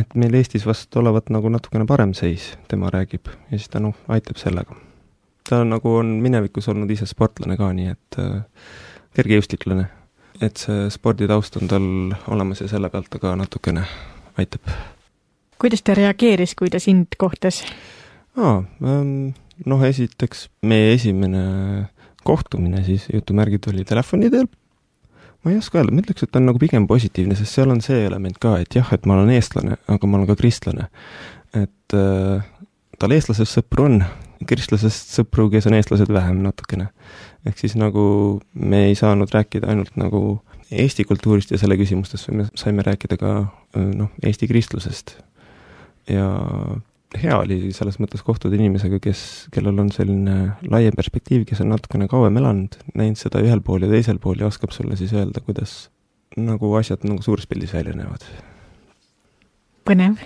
[SPEAKER 3] et meil Eestis vast olevat nagu natukene parem seis, tema räägib ja siis ta aitab sellega. Ta nagu on minevikus olnud ise sportlane ka, nii et kergejõustiklane, et see sporditaust on tal olemas ja selle pealt ta ka natukene aitab.
[SPEAKER 2] Kuidas ta reageeris, kui ta sind kohtas?
[SPEAKER 3] Esiteks meie esimene kohtumine siis jutumärgid oli telefoni teel. Ma ei oska öelda, ma ütleks, et ta on nagu pigem positiivne, sest seal on see element ka, et jah, et ma olen eestlane, aga ma olen ka kristlane. Et tal eestlasest sõpru on, kristlasest sõpru, kes on eestlased vähem natukene. Ehk siis nagu me ei saanud rääkida ainult nagu Eesti kultuurist ja selle küsimustest, me saime rääkida ka Eesti kristlusest. Ja hea oli selles mõttes kohtuda inimesega, kellel on selline laiem perspektiiv, kes on natukene kauem elanud, näinud seda ühel pool ja teisel pool ja oskab sulle siis öelda, kuidas nagu asjad nagu suures pildis välja näevad.
[SPEAKER 2] Põnev.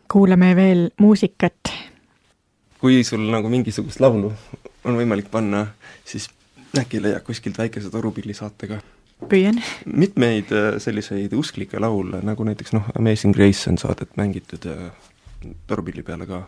[SPEAKER 2] Kuulame veel muusikat.
[SPEAKER 3] Kui sul nagu mingisugust laulu on võimalik panna, siis äkki leiab kuskilt väikese torupilli saatega.
[SPEAKER 2] Püüan.
[SPEAKER 3] Mitmeid selliseid usklikke laule, nagu näiteks Amazing Grace on saadet mängitud torupilli peale ka.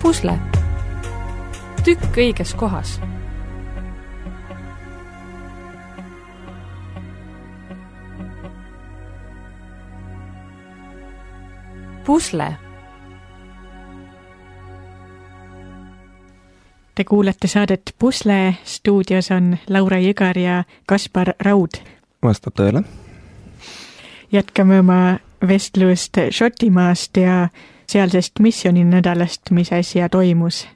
[SPEAKER 1] Pusle. Tükk õiges kohas. Pusle.
[SPEAKER 2] Te kuulete saadet Pusle, stuudios on Laura Jõgar ja Kaspar Raud.
[SPEAKER 3] Vastab tõele.
[SPEAKER 2] Jätkame oma vestlust Šotimaast ja sealsest missioninädalast, mis äsja toimus.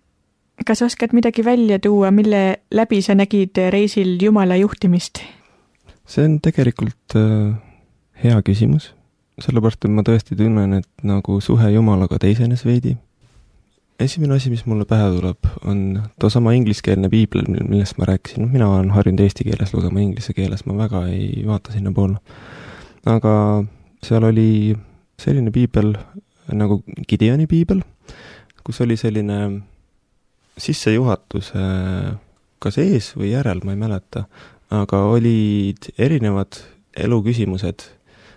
[SPEAKER 2] Kas oskad midagi välja tuua, mille läbi sa nägid reisil Jumala juhtimist?
[SPEAKER 3] See on tegelikult hea küsimus, sellepärast, et ma tõesti tunnen, et nagu suhe Jumalaga teisenes veidi. Esimene asi, mis mulle pähe tuleb, on toosama ingliskeelne piibel, millest ma rääkisin. Mina olen harjunud eesti keeles lugema, inglise keeles ma väga ei vaata sinna poole. Aga seal oli selline piibel nagu Gideoni piibel, kus oli selline sissejuhatus kas ees või järel, ma ei mäleta, aga olid erinevad eluküsimused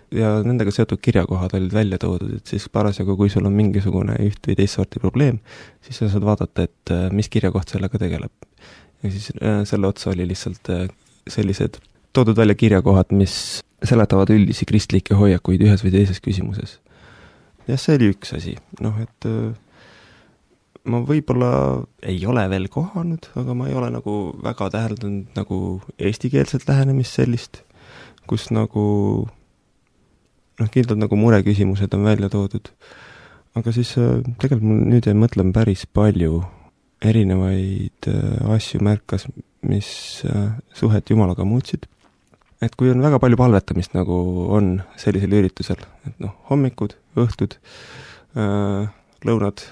[SPEAKER 3] ja nendega seotud kirjakohad olid välja toodud, et siis parasjagu, kui sul on mingisugune üht või teist sorti probleem, siis sa saad vaadata, et mis kirjakoht sellega tegeleb. Ja siis selle otsa oli lihtsalt sellised toodud välja kirjakohad, mis seletavad üldisi kristlikke hoiakuid ühes või teises küsimuses. Ja see oli üks asi. Et ma võib-olla ei ole veel kohanud, aga ma ei ole nagu väga täheldanud nagu eestikeelset lähenemist sellist, kus nagu kindlalt nagu mureküsimused on välja toodud. Aga siis tegelikult mul nüüd ei mõtlema päris palju erinevaid asju märkas, mis suhet Jumalaga muutsid. Et kui on väga palju palvetamist nagu on sellisel üritusel, et hommikud, õhtud, lõunad,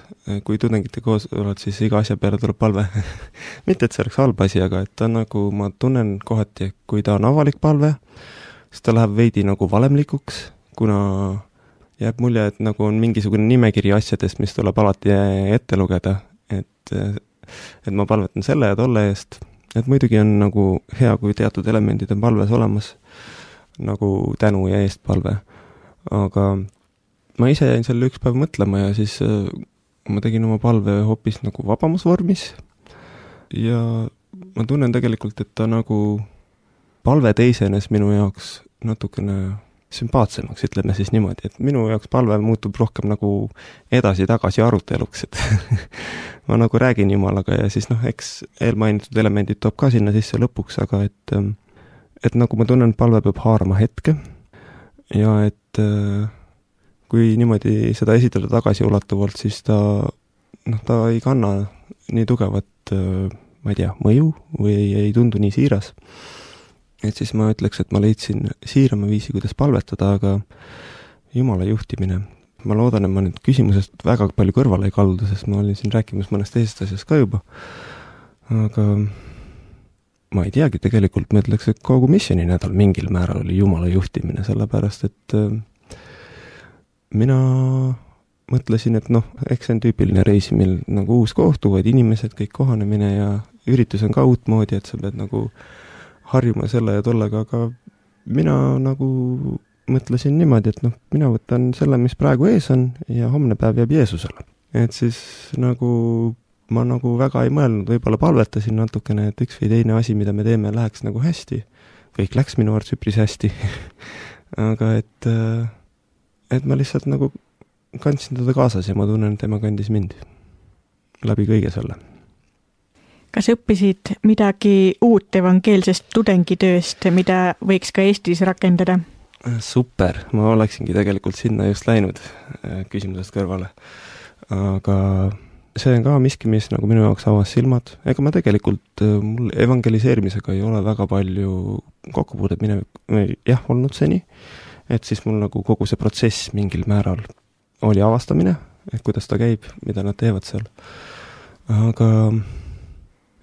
[SPEAKER 3] kui tudengite koos oled, siis iga asja peale tuleb palve. Mitte, et see oleks halb asi, aga et ta nagu, ma tunnen kohati, kui ta on avalik palve, siis ta läheb veidi nagu valemlikuks, kuna jääb mulje, et nagu on mingisugune nimekiri asjadest, mis tuleb alati ette lugeda, et ma palvetan selle ja tolle eest. Et muidugi on nagu hea, kui teatud elemendid on palves olemas, nagu tänu ja eest palve. Aga ma ise jäin selle üks päev mõtlema ja siis ma tegin oma palve hoopis nagu vabamusvormis ja ma tunnen tegelikult, et ta nagu palve teisenes minu jaoks natukene sümpaatsemaks, ütleme siis niimoodi, et minu jaoks palve muutub rohkem nagu edasi-tagasi aruteluks, et ma nagu räägin Jumalaga ja siis eks eelmainitud elemendid toob ka sinna sisse lõpuks, aga et nagu ma tunnen, palve peab haarama hetke ja et kui niimoodi seda esitada tagasiulatuvalt, siis ta ei kanna nii tugevat, ma ei tea, mõju või ei tundu nii siiras. Et siis ma ütleks, et ma leidsin siirama viisi, kuidas palvetada, aga Jumala juhtimine. Ma loodan, et ma nüüd küsimusest väga palju kõrvale ei kaldu, sest ma olin siin rääkimas mõnest teisest asjast ka juba. Aga ma ei teagi, tegelikult ma ütleks, et kogu missioninädal mingil määral oli Jumala juhtimine, sellepärast, et mina mõtlesin, et eks see on tüüpiline reisimil nagu uus kohtu, vaid inimesed, kõik kohanemine ja üritus on ka uutmoodi, et sa pead nagu harjuma selle ja tollega, aga mina nagu mõtlesin niimoodi, et mina võtan selle, mis praegu ees on ja homne päev jääb Jeesusele. Et siis nagu ma nagu väga ei mõelnud, võib-olla palvetasin natukene, et üks või teine asi, mida me teeme, läheks nagu hästi. Kõik läks minu arvates üpris hästi. Aga et ma lihtsalt nagu kandsin teda kaasas ja ma tunnen, et tema kandis mind läbi kõige selle.
[SPEAKER 2] Kas õppisid midagi uut evangeelsest tudengitööst, mida võiks ka Eestis rakendada?
[SPEAKER 3] Super, ma oleksingi tegelikult sinna just läinud küsimusest kõrvale. Aga see on ka miski, mis nagu minu jaoks avas silmad. Ega ma tegelikult mul evangeliseerimisega ei ole väga palju kokkupuudet olnud seni. Et siis mul nagu kogu see protsess mingil määral oli avastamine, et kuidas ta käib, mida nad teevad seal. Aga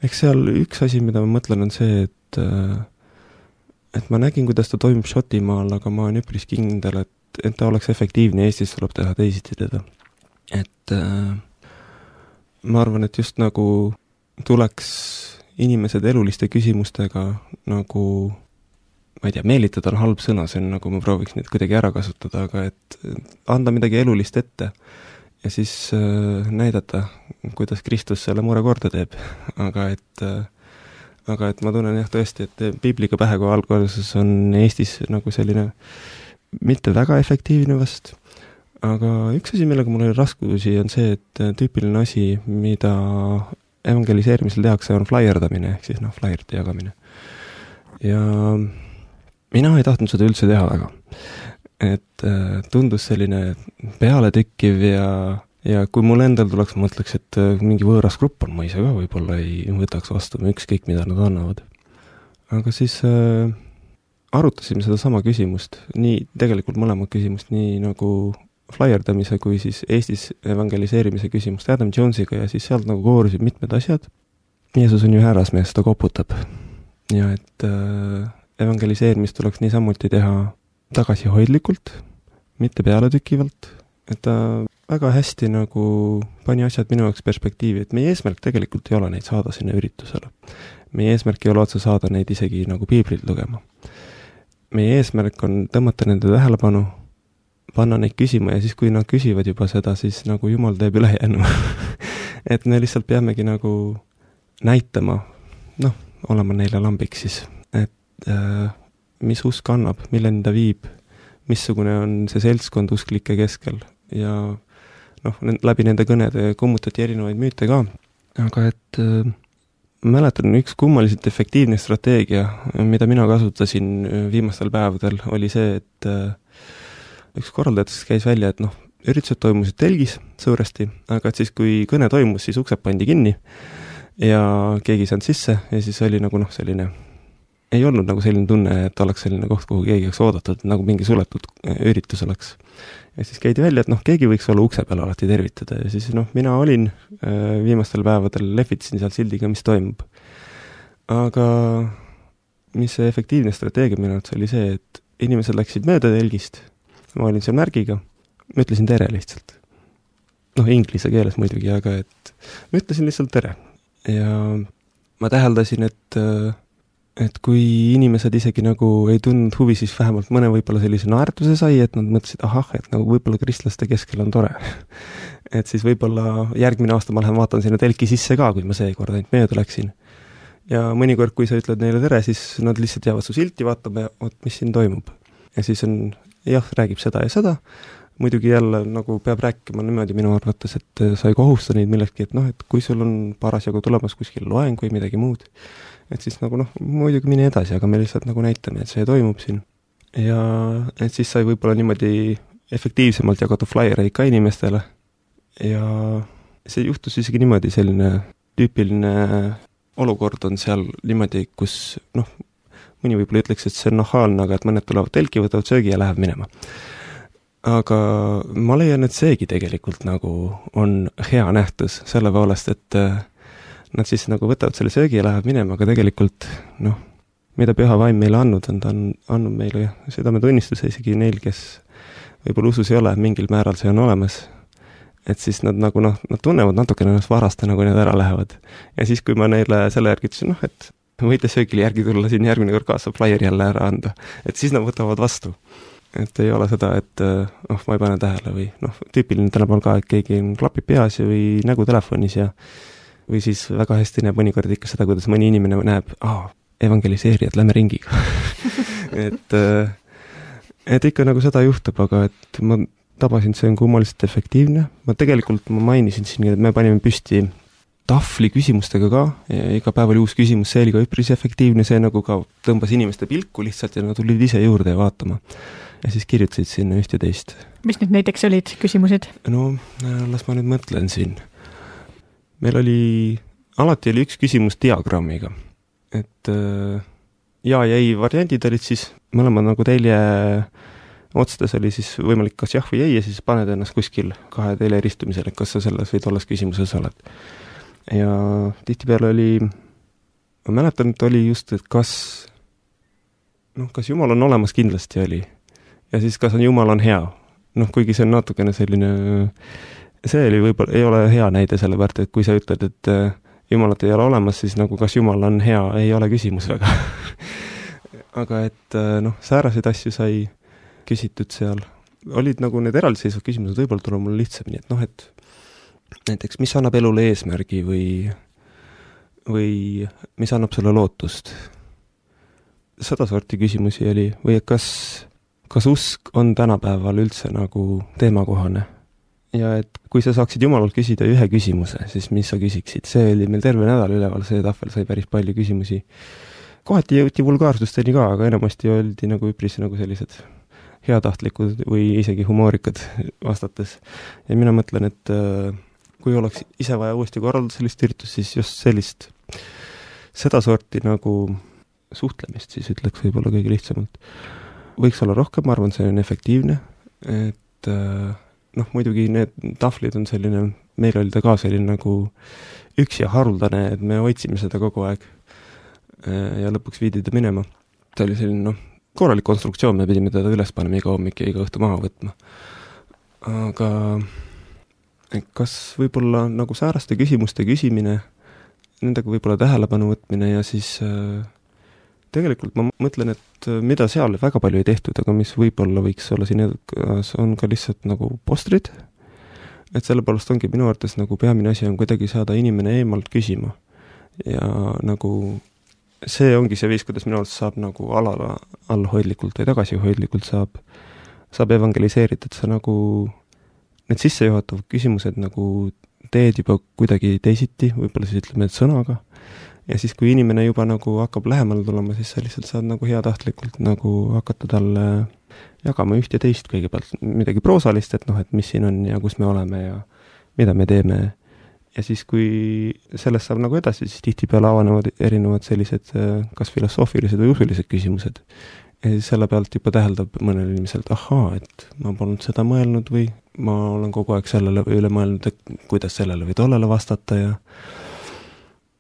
[SPEAKER 3] eks seal üks asi, mida ma mõtlen, on see, et ma nägin, kuidas ta toimub Šotimaal, aga ma olen üpris kindel, et ta oleks efektiivne, Eestis tuleb teha teisiti teda. Et ma arvan, et just nagu tuleks inimesed eluliste küsimustega nagu, ma ei tea, meelitada on halb sõna, see on nagu ma prooviks neid kuidagi ära kasutada, aga et anda midagi elulist ette ja siis näidata, kuidas Kristus selle mure korda teeb. Aga et ma tunnen tõesti, et piibliga pähe, kui alguses on Eestis nagu selline mitte väga efektiivne vast. Aga üks asi, millega mul oli raskusi, on see, et tüüpiline asi, mida evangeliseerimisel tehakse, on flaierdamine, ehk siis flaierite jagamine. Ja mina ei tahtnud seda üldse teha väga. Et tundus selline pealetükkiv ja kui mul endal tuleks, mõtleks, et mingi võõras grupp on, ma ise ka võib-olla ei võtaks vastu ükskõik, mida nad annavad. Aga siis arutasime seda sama küsimust, nii tegelikult mõlemad küsimust, nii nagu flaierdamise kui siis Eestis evangeliseerimise küsimust Adam Jonesiga ja siis sealt nagu koorusid mitmed asjad. Jeesus on ju härrasmees, ta koputab. Ja et evangeliseerimist tuleks niisamuti teha tagasihoidlikult, mitte pealetükivalt, et ta väga hästi nagu pani asjad minu jaoks perspektiivi, et meie eesmärk tegelikult ei ole neid saada sinna üritusele. Meie eesmärk ei ole otse saada neid isegi nagu piiblit lugema. Meie eesmärk on tõmmata nende tähelepanu, panna neid küsima ja siis, kui nad küsivad juba seda, siis nagu Jumal teeb ülejäänu. Et me lihtsalt peamegi nagu näitama, olema neile lambiks siis, et mis usk annab, milleni ta viib, missugune on see seltskond usklike keskel ja läbi nende kõnede kummutati erinevaid müüte ka, aga et mäletan, üks kummaliselt efektiivne strateegia, mida mina kasutasin viimastel päevadel, oli see, et üks korraldajatest käis välja, et üritused toimusid telgis suuresti, aga et siis, kui kõne toimus, siis uksed pandi kinni ja keegi ei saanud sisse ja siis oli nagu selline, ei olnud nagu selline tunne, et oleks selline koht, kuhu keegi oleks oodatud, nagu mingi suletud üritus oleks. Ja siis käidi välja, et keegi võiks olla ukse peal alati tervitada ja siis mina olin viimastel päevadel, lehvitasin seal sildiga, mis toimub. Aga mis see efektiivne strateegia minu arvates oli see, et inimesed läksid mööda telgist, ma olin seal märgiga, ma ütlesin tere lihtsalt. Inglise keeles muidugi, aga et ma ütlesin lihtsalt tere. Ja ma täheldasin, et kui inimesed isegi nagu ei tundnud huvi, siis vähemalt mõne võib-olla sellise naertuse sai, et nad mõtlesid, et nagu võib-olla kristlaste keskel on tore. Et siis võib-olla järgmine aasta ma lähen vaatan sinna telki sisse ka, kui ma seekord ainult mööda läksin. Ja mõnikord, kui sa ütled neile tere, siis nad lihtsalt jäävad su silti vaatama ja mis siin toimub. Ja siis on, räägib seda ja seda. Muidugi jälle nagu peab rääkima niimoodi minu arvates, et sa ei kohusta neid millegi, et kui sul on parasjagu tulemas kuskil loeng või midagi muud, et siis nagu muidugi mine edasi, aga me lihtsalt nagu näitame, et see toimub siin. Ja et siis sai võib-olla niimoodi efektiivsemalt jagada flaiereid ka inimestele. Ja see juhtus isegi niimoodi, selline tüüpiline olukord on seal niimoodi, kus mõni võib-olla ütleks, et see on nahaalne, aga et mõned tulevad telki, võtavad söögi ja lähevad minema. Aga ma leian, et seegi tegelikult nagu on hea nähtus selle poolest, et nad siis nagu võtavad selle söögi ja lähevad minema, aga tegelikult, mida Püha Vaim meile andnud on, ta on andnud meile südametunnistuse isegi neil, kes võib-olla usus ei ole, mingil määral see on olemas. Et siis nad nagu, nad tunnevad natukene ennast varasta, nagu need ära lähevad. Ja siis, kui ma neile selle järgi ütlesin, et võite söögile järgi tulla siin järgmine kord kaasa flaieri jälle ära anda, et siis nad võtavad vastu. Et ei ole seda, et ma ei pane tähele või tüüpiline tänapäeval ka, et keegi klapib peas või nägu telefonis ja või siis väga hästi näeb mõnikord ikka seda, kuidas mõni inimene näeb, evangeliseerijad, lähme ringiga. et ikka nagu seda juhtub, aga et ma tabasin, see on kummaliselt efektiivne. Ma mainisin siin, et me panime püsti tahvli küsimustega ka, ja iga päev oli uus küsimus, see oli ka üpris efektiivne, see nagu ka tõmbas inimeste pilku lihtsalt ja nad tulid ise juurde ja vaatama. Ja siis kirjutasid sinna üht ja teist. Mis
[SPEAKER 2] nüüd näiteks olid küsimused?
[SPEAKER 3] Las ma nüüd mõtlen siin. Meil alati oli üks küsimus diagrammiga. Et ja ei variandid olid siis, mõlemad nagu telje otsades oli siis võimalik kas jah või ei ja siis paned ennast kuskil kahe telje ristumisel, et kas sa selles või tolles küsimuses oled. Ja tihtipeale oli, ma mäletan, et oli just, et kas Jumal on olemas, kindlasti oli. Ja siis kas Jumal on hea. Kuigi see on natukene selline, see oli võib-olla, ei ole hea näide selle pärt, et kui sa ütled, et Jumalat ei ole olemas, siis nagu kas Jumal on hea, ei ole küsimus väga. Aga et sääraseid asju sai küsitud seal. Olid nagu need eraldiseisvad küsimused, võib-olla tuleb mul lihtsamini, et et näiteks, mis annab elule eesmärgi või mis annab sulle lootust. Seda sorti küsimusi oli, või kas usk on tänapäeval üldse nagu teemakohane ja et kui sa saaksid Jumalalt küsida ühe küsimuse, siis mis sa küsiksid? See oli meil terve nädal üleval, see tahvel sai päris palju küsimusi. Kohati jõuti vulgaarsusteni ka, aga enamasti oldi nagu üpris nagu sellised heatahtlikud või isegi humoorikad vastates. Ja mina mõtlen, et kui oleks ise vaja uuesti korraldada sellist üritust, siis just sellist, seda sorti nagu suhtlemist, siis ütleks võib-olla kõige lihtsamalt. Võiks olla rohkem, ma arvan, see on efektiivne, et muidugi need tahvlid on selline, meil oli ta ka selline nagu üksi ja haruldane, et me hoidsime seda kogu aeg ja lõpuks viidi ta minema. Ta oli selline, korralik konstruktsioon, me pidime teda üles panema iga hommik ja iga õhtu maha võtma. Aga kas võib-olla nagu sääraste küsimuste küsimine, nendega võib-olla tähelepanu võtmine ja siis tegelikult ma mõtlen, et mida seal väga palju ei tehtud, aga mis võib-olla võiks olla siin edukas, on ka lihtsalt nagu postrid, et sellepärast ongi minu arvates nagu peamine asi on kuidagi saada inimene eemalt küsima ja nagu see ongi see viis, kuidas minu arvates saab nagu allhoidlikult või tagasihoidlikult saab evangeliseerida, et sa nagu need sissejuhatavad küsimused nagu teed juba kuidagi teisiti, võib-olla siis ütleme, et sõnaga. Ja siis, kui inimene juba nagu hakkab lähemale tulema, siis sa lihtsalt saad nagu heatahtlikult nagu hakata talle jagama üht ja teist kõigepealt midagi proosalist, et et mis siin on ja kus me oleme ja mida me teeme. Ja siis, kui sellest saab nagu edasi, siis tihtipeale avanevad erinevad sellised kas filosoofilised või usulised küsimused. Ja siis selle pealt juba täheldab mõnel inimeselt, et ma polnud seda mõelnud või ma olen kogu aeg sellele üle mõelnud, et kuidas sellele või tollele vastata ja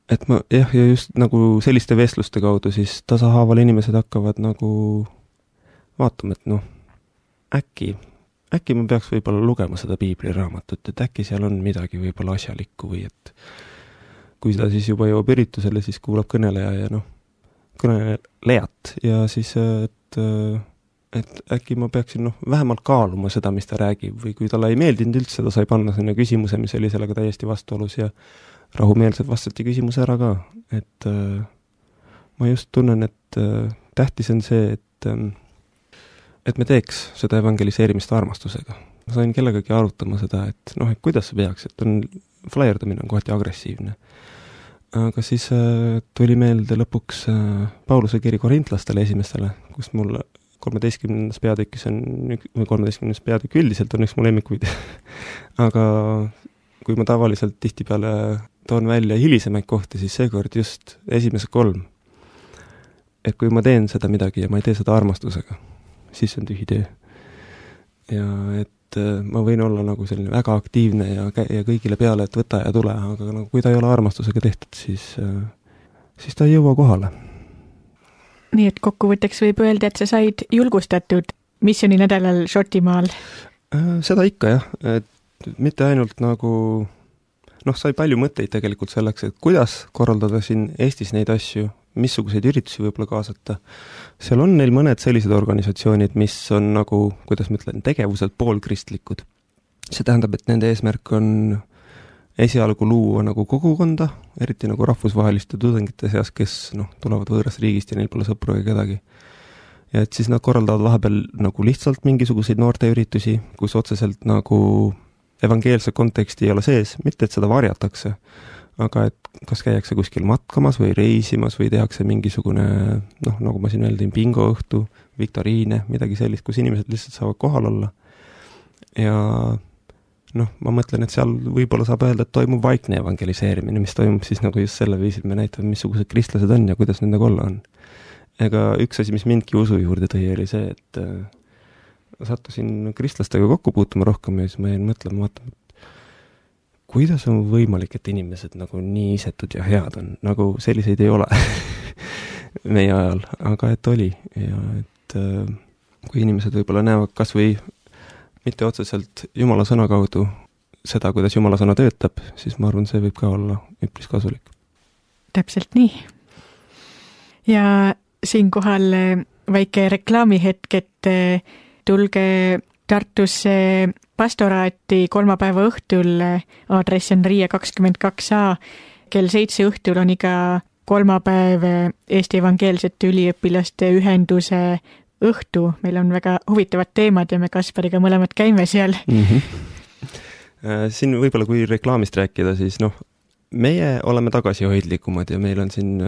[SPEAKER 3] et ja just nagu selliste vestluste kaudu siis tasahaaval inimesed hakkavad nagu vaatama, et äkki ma peaks võib-olla lugema seda piibliraamatut, et äkki seal on midagi võib-olla asjalikku või et kui ta siis juba jõuab üritusele, siis kuulab kõneleja ja kõnelejat ja siis, et äkki ma peaksin vähemalt kaaluma seda, mis ta räägib või kui talle ei meeldinud üldse, ta sai panna sinna küsimuse, mis oli sellega täiesti vastuolus ja rahumeelselt vastati küsimuse ära ka, et ma just tunnen, et tähtis on see, et me teeks seda evangeliseerimist armastusega. Ma sain kellegagi arutama seda, et kuidas see peaks, et flaierdamine on kohati agressiivne. Aga siis tuli meelde lõpuks Pauluse kiri korintlastele esimestele, kus mul 13. peatükis või 13. peatükk üldiselt on üks mu lemmikuid. Aga kui ma tavaliselt tihtipeale toon välja hilisemaid kohti, siis seekord just esimesed 3. Et kui ma teen seda midagi ja ma ei tee seda armastusega, siis on tühi töö. Ja et ma võin olla nagu selline väga aktiivne ja kõigile peale, et võta ja tule, aga nagu kui ta ei ole armastusega tehtud, siis ta ei jõua kohale.
[SPEAKER 2] Nii et kokkuvõtteks võib öelda, et sa said julgustatud missiooni nädalal Šotimaal?
[SPEAKER 3] Seda ikka jah, et mitte ainult nagu sai palju mõtteid tegelikult selleks, et kuidas korraldada siin Eestis neid asju, missuguseid üritusi võib-olla kaasata. Seal on neil mõned sellised organisatsioonid, mis on nagu, kuidas ma ütlen, tegevuselt poolkristlikud. See tähendab, et nende eesmärk on esialgu luua nagu kogukonda, eriti nagu rahvusvaheliste tudengite seas, kes tulevad võõrast riigist ja neil pole sõpru ega kedagi. Ja et siis nad korraldavad vahepeal nagu lihtsalt mingisuguseid noorteüritusi, kus otseselt nagu evangeelse konteksti ei ole sees, mitte et seda varjatakse, aga et kas käiakse kuskil matkamas või reisimas või tehakse mingisugune, nagu ma siin öeldin, bingoõhtu, viktoriine, midagi sellist, kus inimesed lihtsalt saavad kohal olla. Ja ma mõtlen, et seal võib-olla saab öelda, et toimub vaikne evangeliseerimine, mis toimub siis nagu just selle viisil, me näitame, missugused kristlased on ja kuidas nendega olla on. Ega üks asi, mis mindki usu juurde tõi, oli see, et sattusin kristlastega kokku puutuma rohkem ja siis ma jäin mõtlema, kuidas on võimalik, et inimesed nagu nii isetud ja head on, nagu selliseid ei ole meie ajal, aga et oli ja et kui inimesed võib-olla näevad kas või mitte otseselt Jumala sõna kaudu seda, kuidas Jumala sõna töötab, siis ma arvan, see võib ka olla üpris kasulik.
[SPEAKER 2] Täpselt nii. Ja siinkohal väike reklaamihetk, et tulge Tartusse pastoraati kolmapäeva õhtul, aadress on Riia 22A, kell 7 õhtul on iga kolmapäev Eesti Evangeelsete Üliõpilaste Ühenduse õhtu. Meil on väga huvitavad teemad ja me Kaspariga mõlemad käime seal.
[SPEAKER 3] Siin võib-olla kui reklaamist rääkida, siis meie oleme tagasihoidlikumad ja meil on siin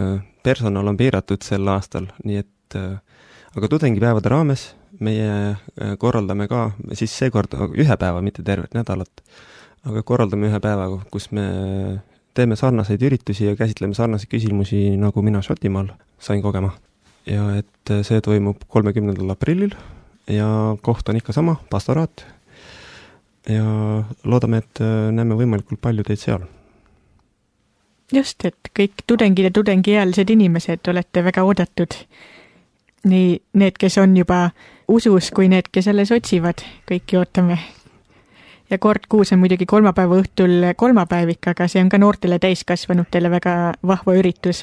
[SPEAKER 3] personal on piiratud sel aastal, nii et aga tudengipäevade raames meie korraldame ka, siis seekord ühe päeva, mitte tervet nädalat, aga korraldame ühe päeva, kus me teeme sarnaseid üritusi ja käsitleme sarnaseid küsimusi, nagu mina Šotimaal sain kogema. Ja et see toimub 30. aprillil ja koht on ikka sama, pastoraat. Ja loodame, et näeme võimalikult palju teid seal.
[SPEAKER 2] Just, et kõik tudengid ja tudengiealised inimesed olete väga oodatud. Nii need, kes on juba usus, kui need, kes alles otsivad, kõiki ootame. Ja kord kuus on muidugi kolmapäeva õhtul kolmapäevik, aga see on ka noortele täiskasvanutele väga vahva üritus.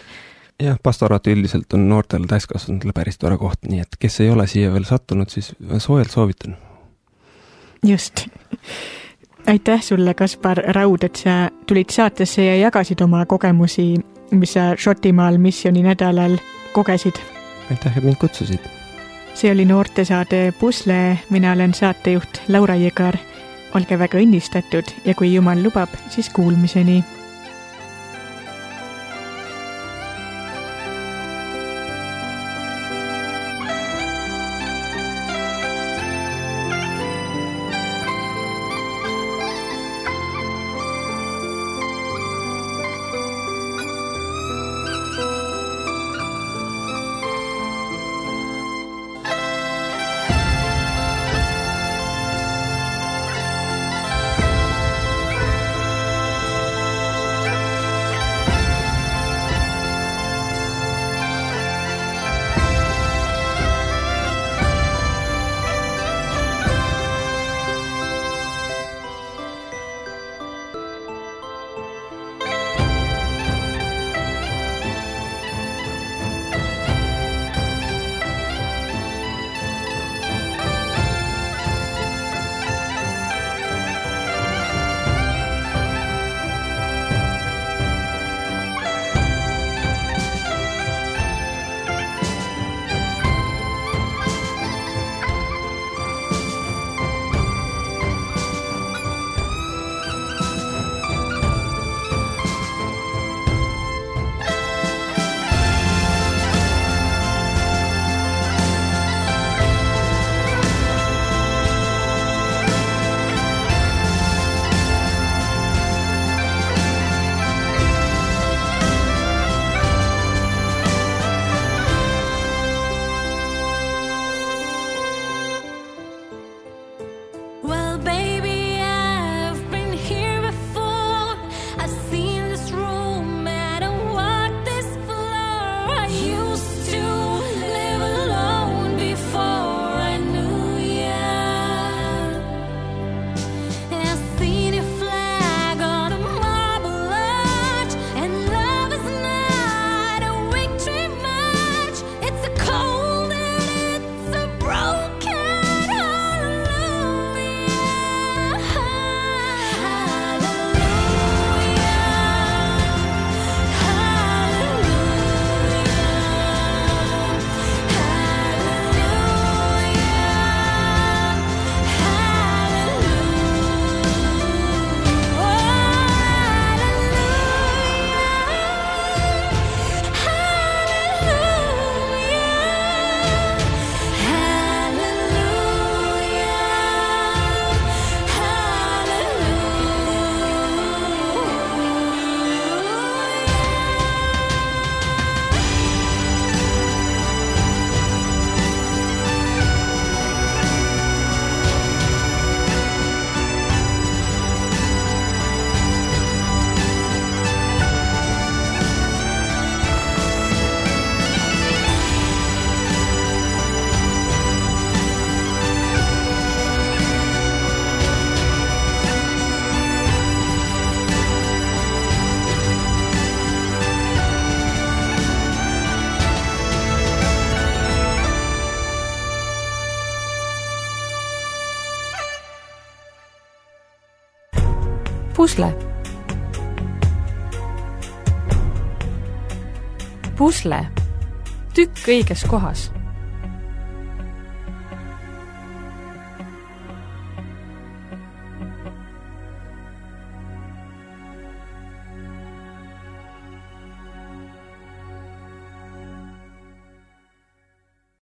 [SPEAKER 3] Jah, pastoraat üldiselt on noortele täiskasvanutele päris tore koht, nii et kes ei ole siia veel sattunud, siis soojalt soovitan.
[SPEAKER 2] Just. Aitäh sulle, Kaspar Raud, et sa tulid saatesse ja jagasid oma kogemusi, mis sa Šotimaal missiooni nädalal kogesid.
[SPEAKER 3] Aitäh, et mind kutsusid.
[SPEAKER 2] See oli noortesaade Pusle, mina olen saatejuht Laura Jõgar. Olge väga õnnistatud ja kui Jumal lubab, siis kuulmiseni.
[SPEAKER 1] Pusle. Pusle. Tükk õiges kohas.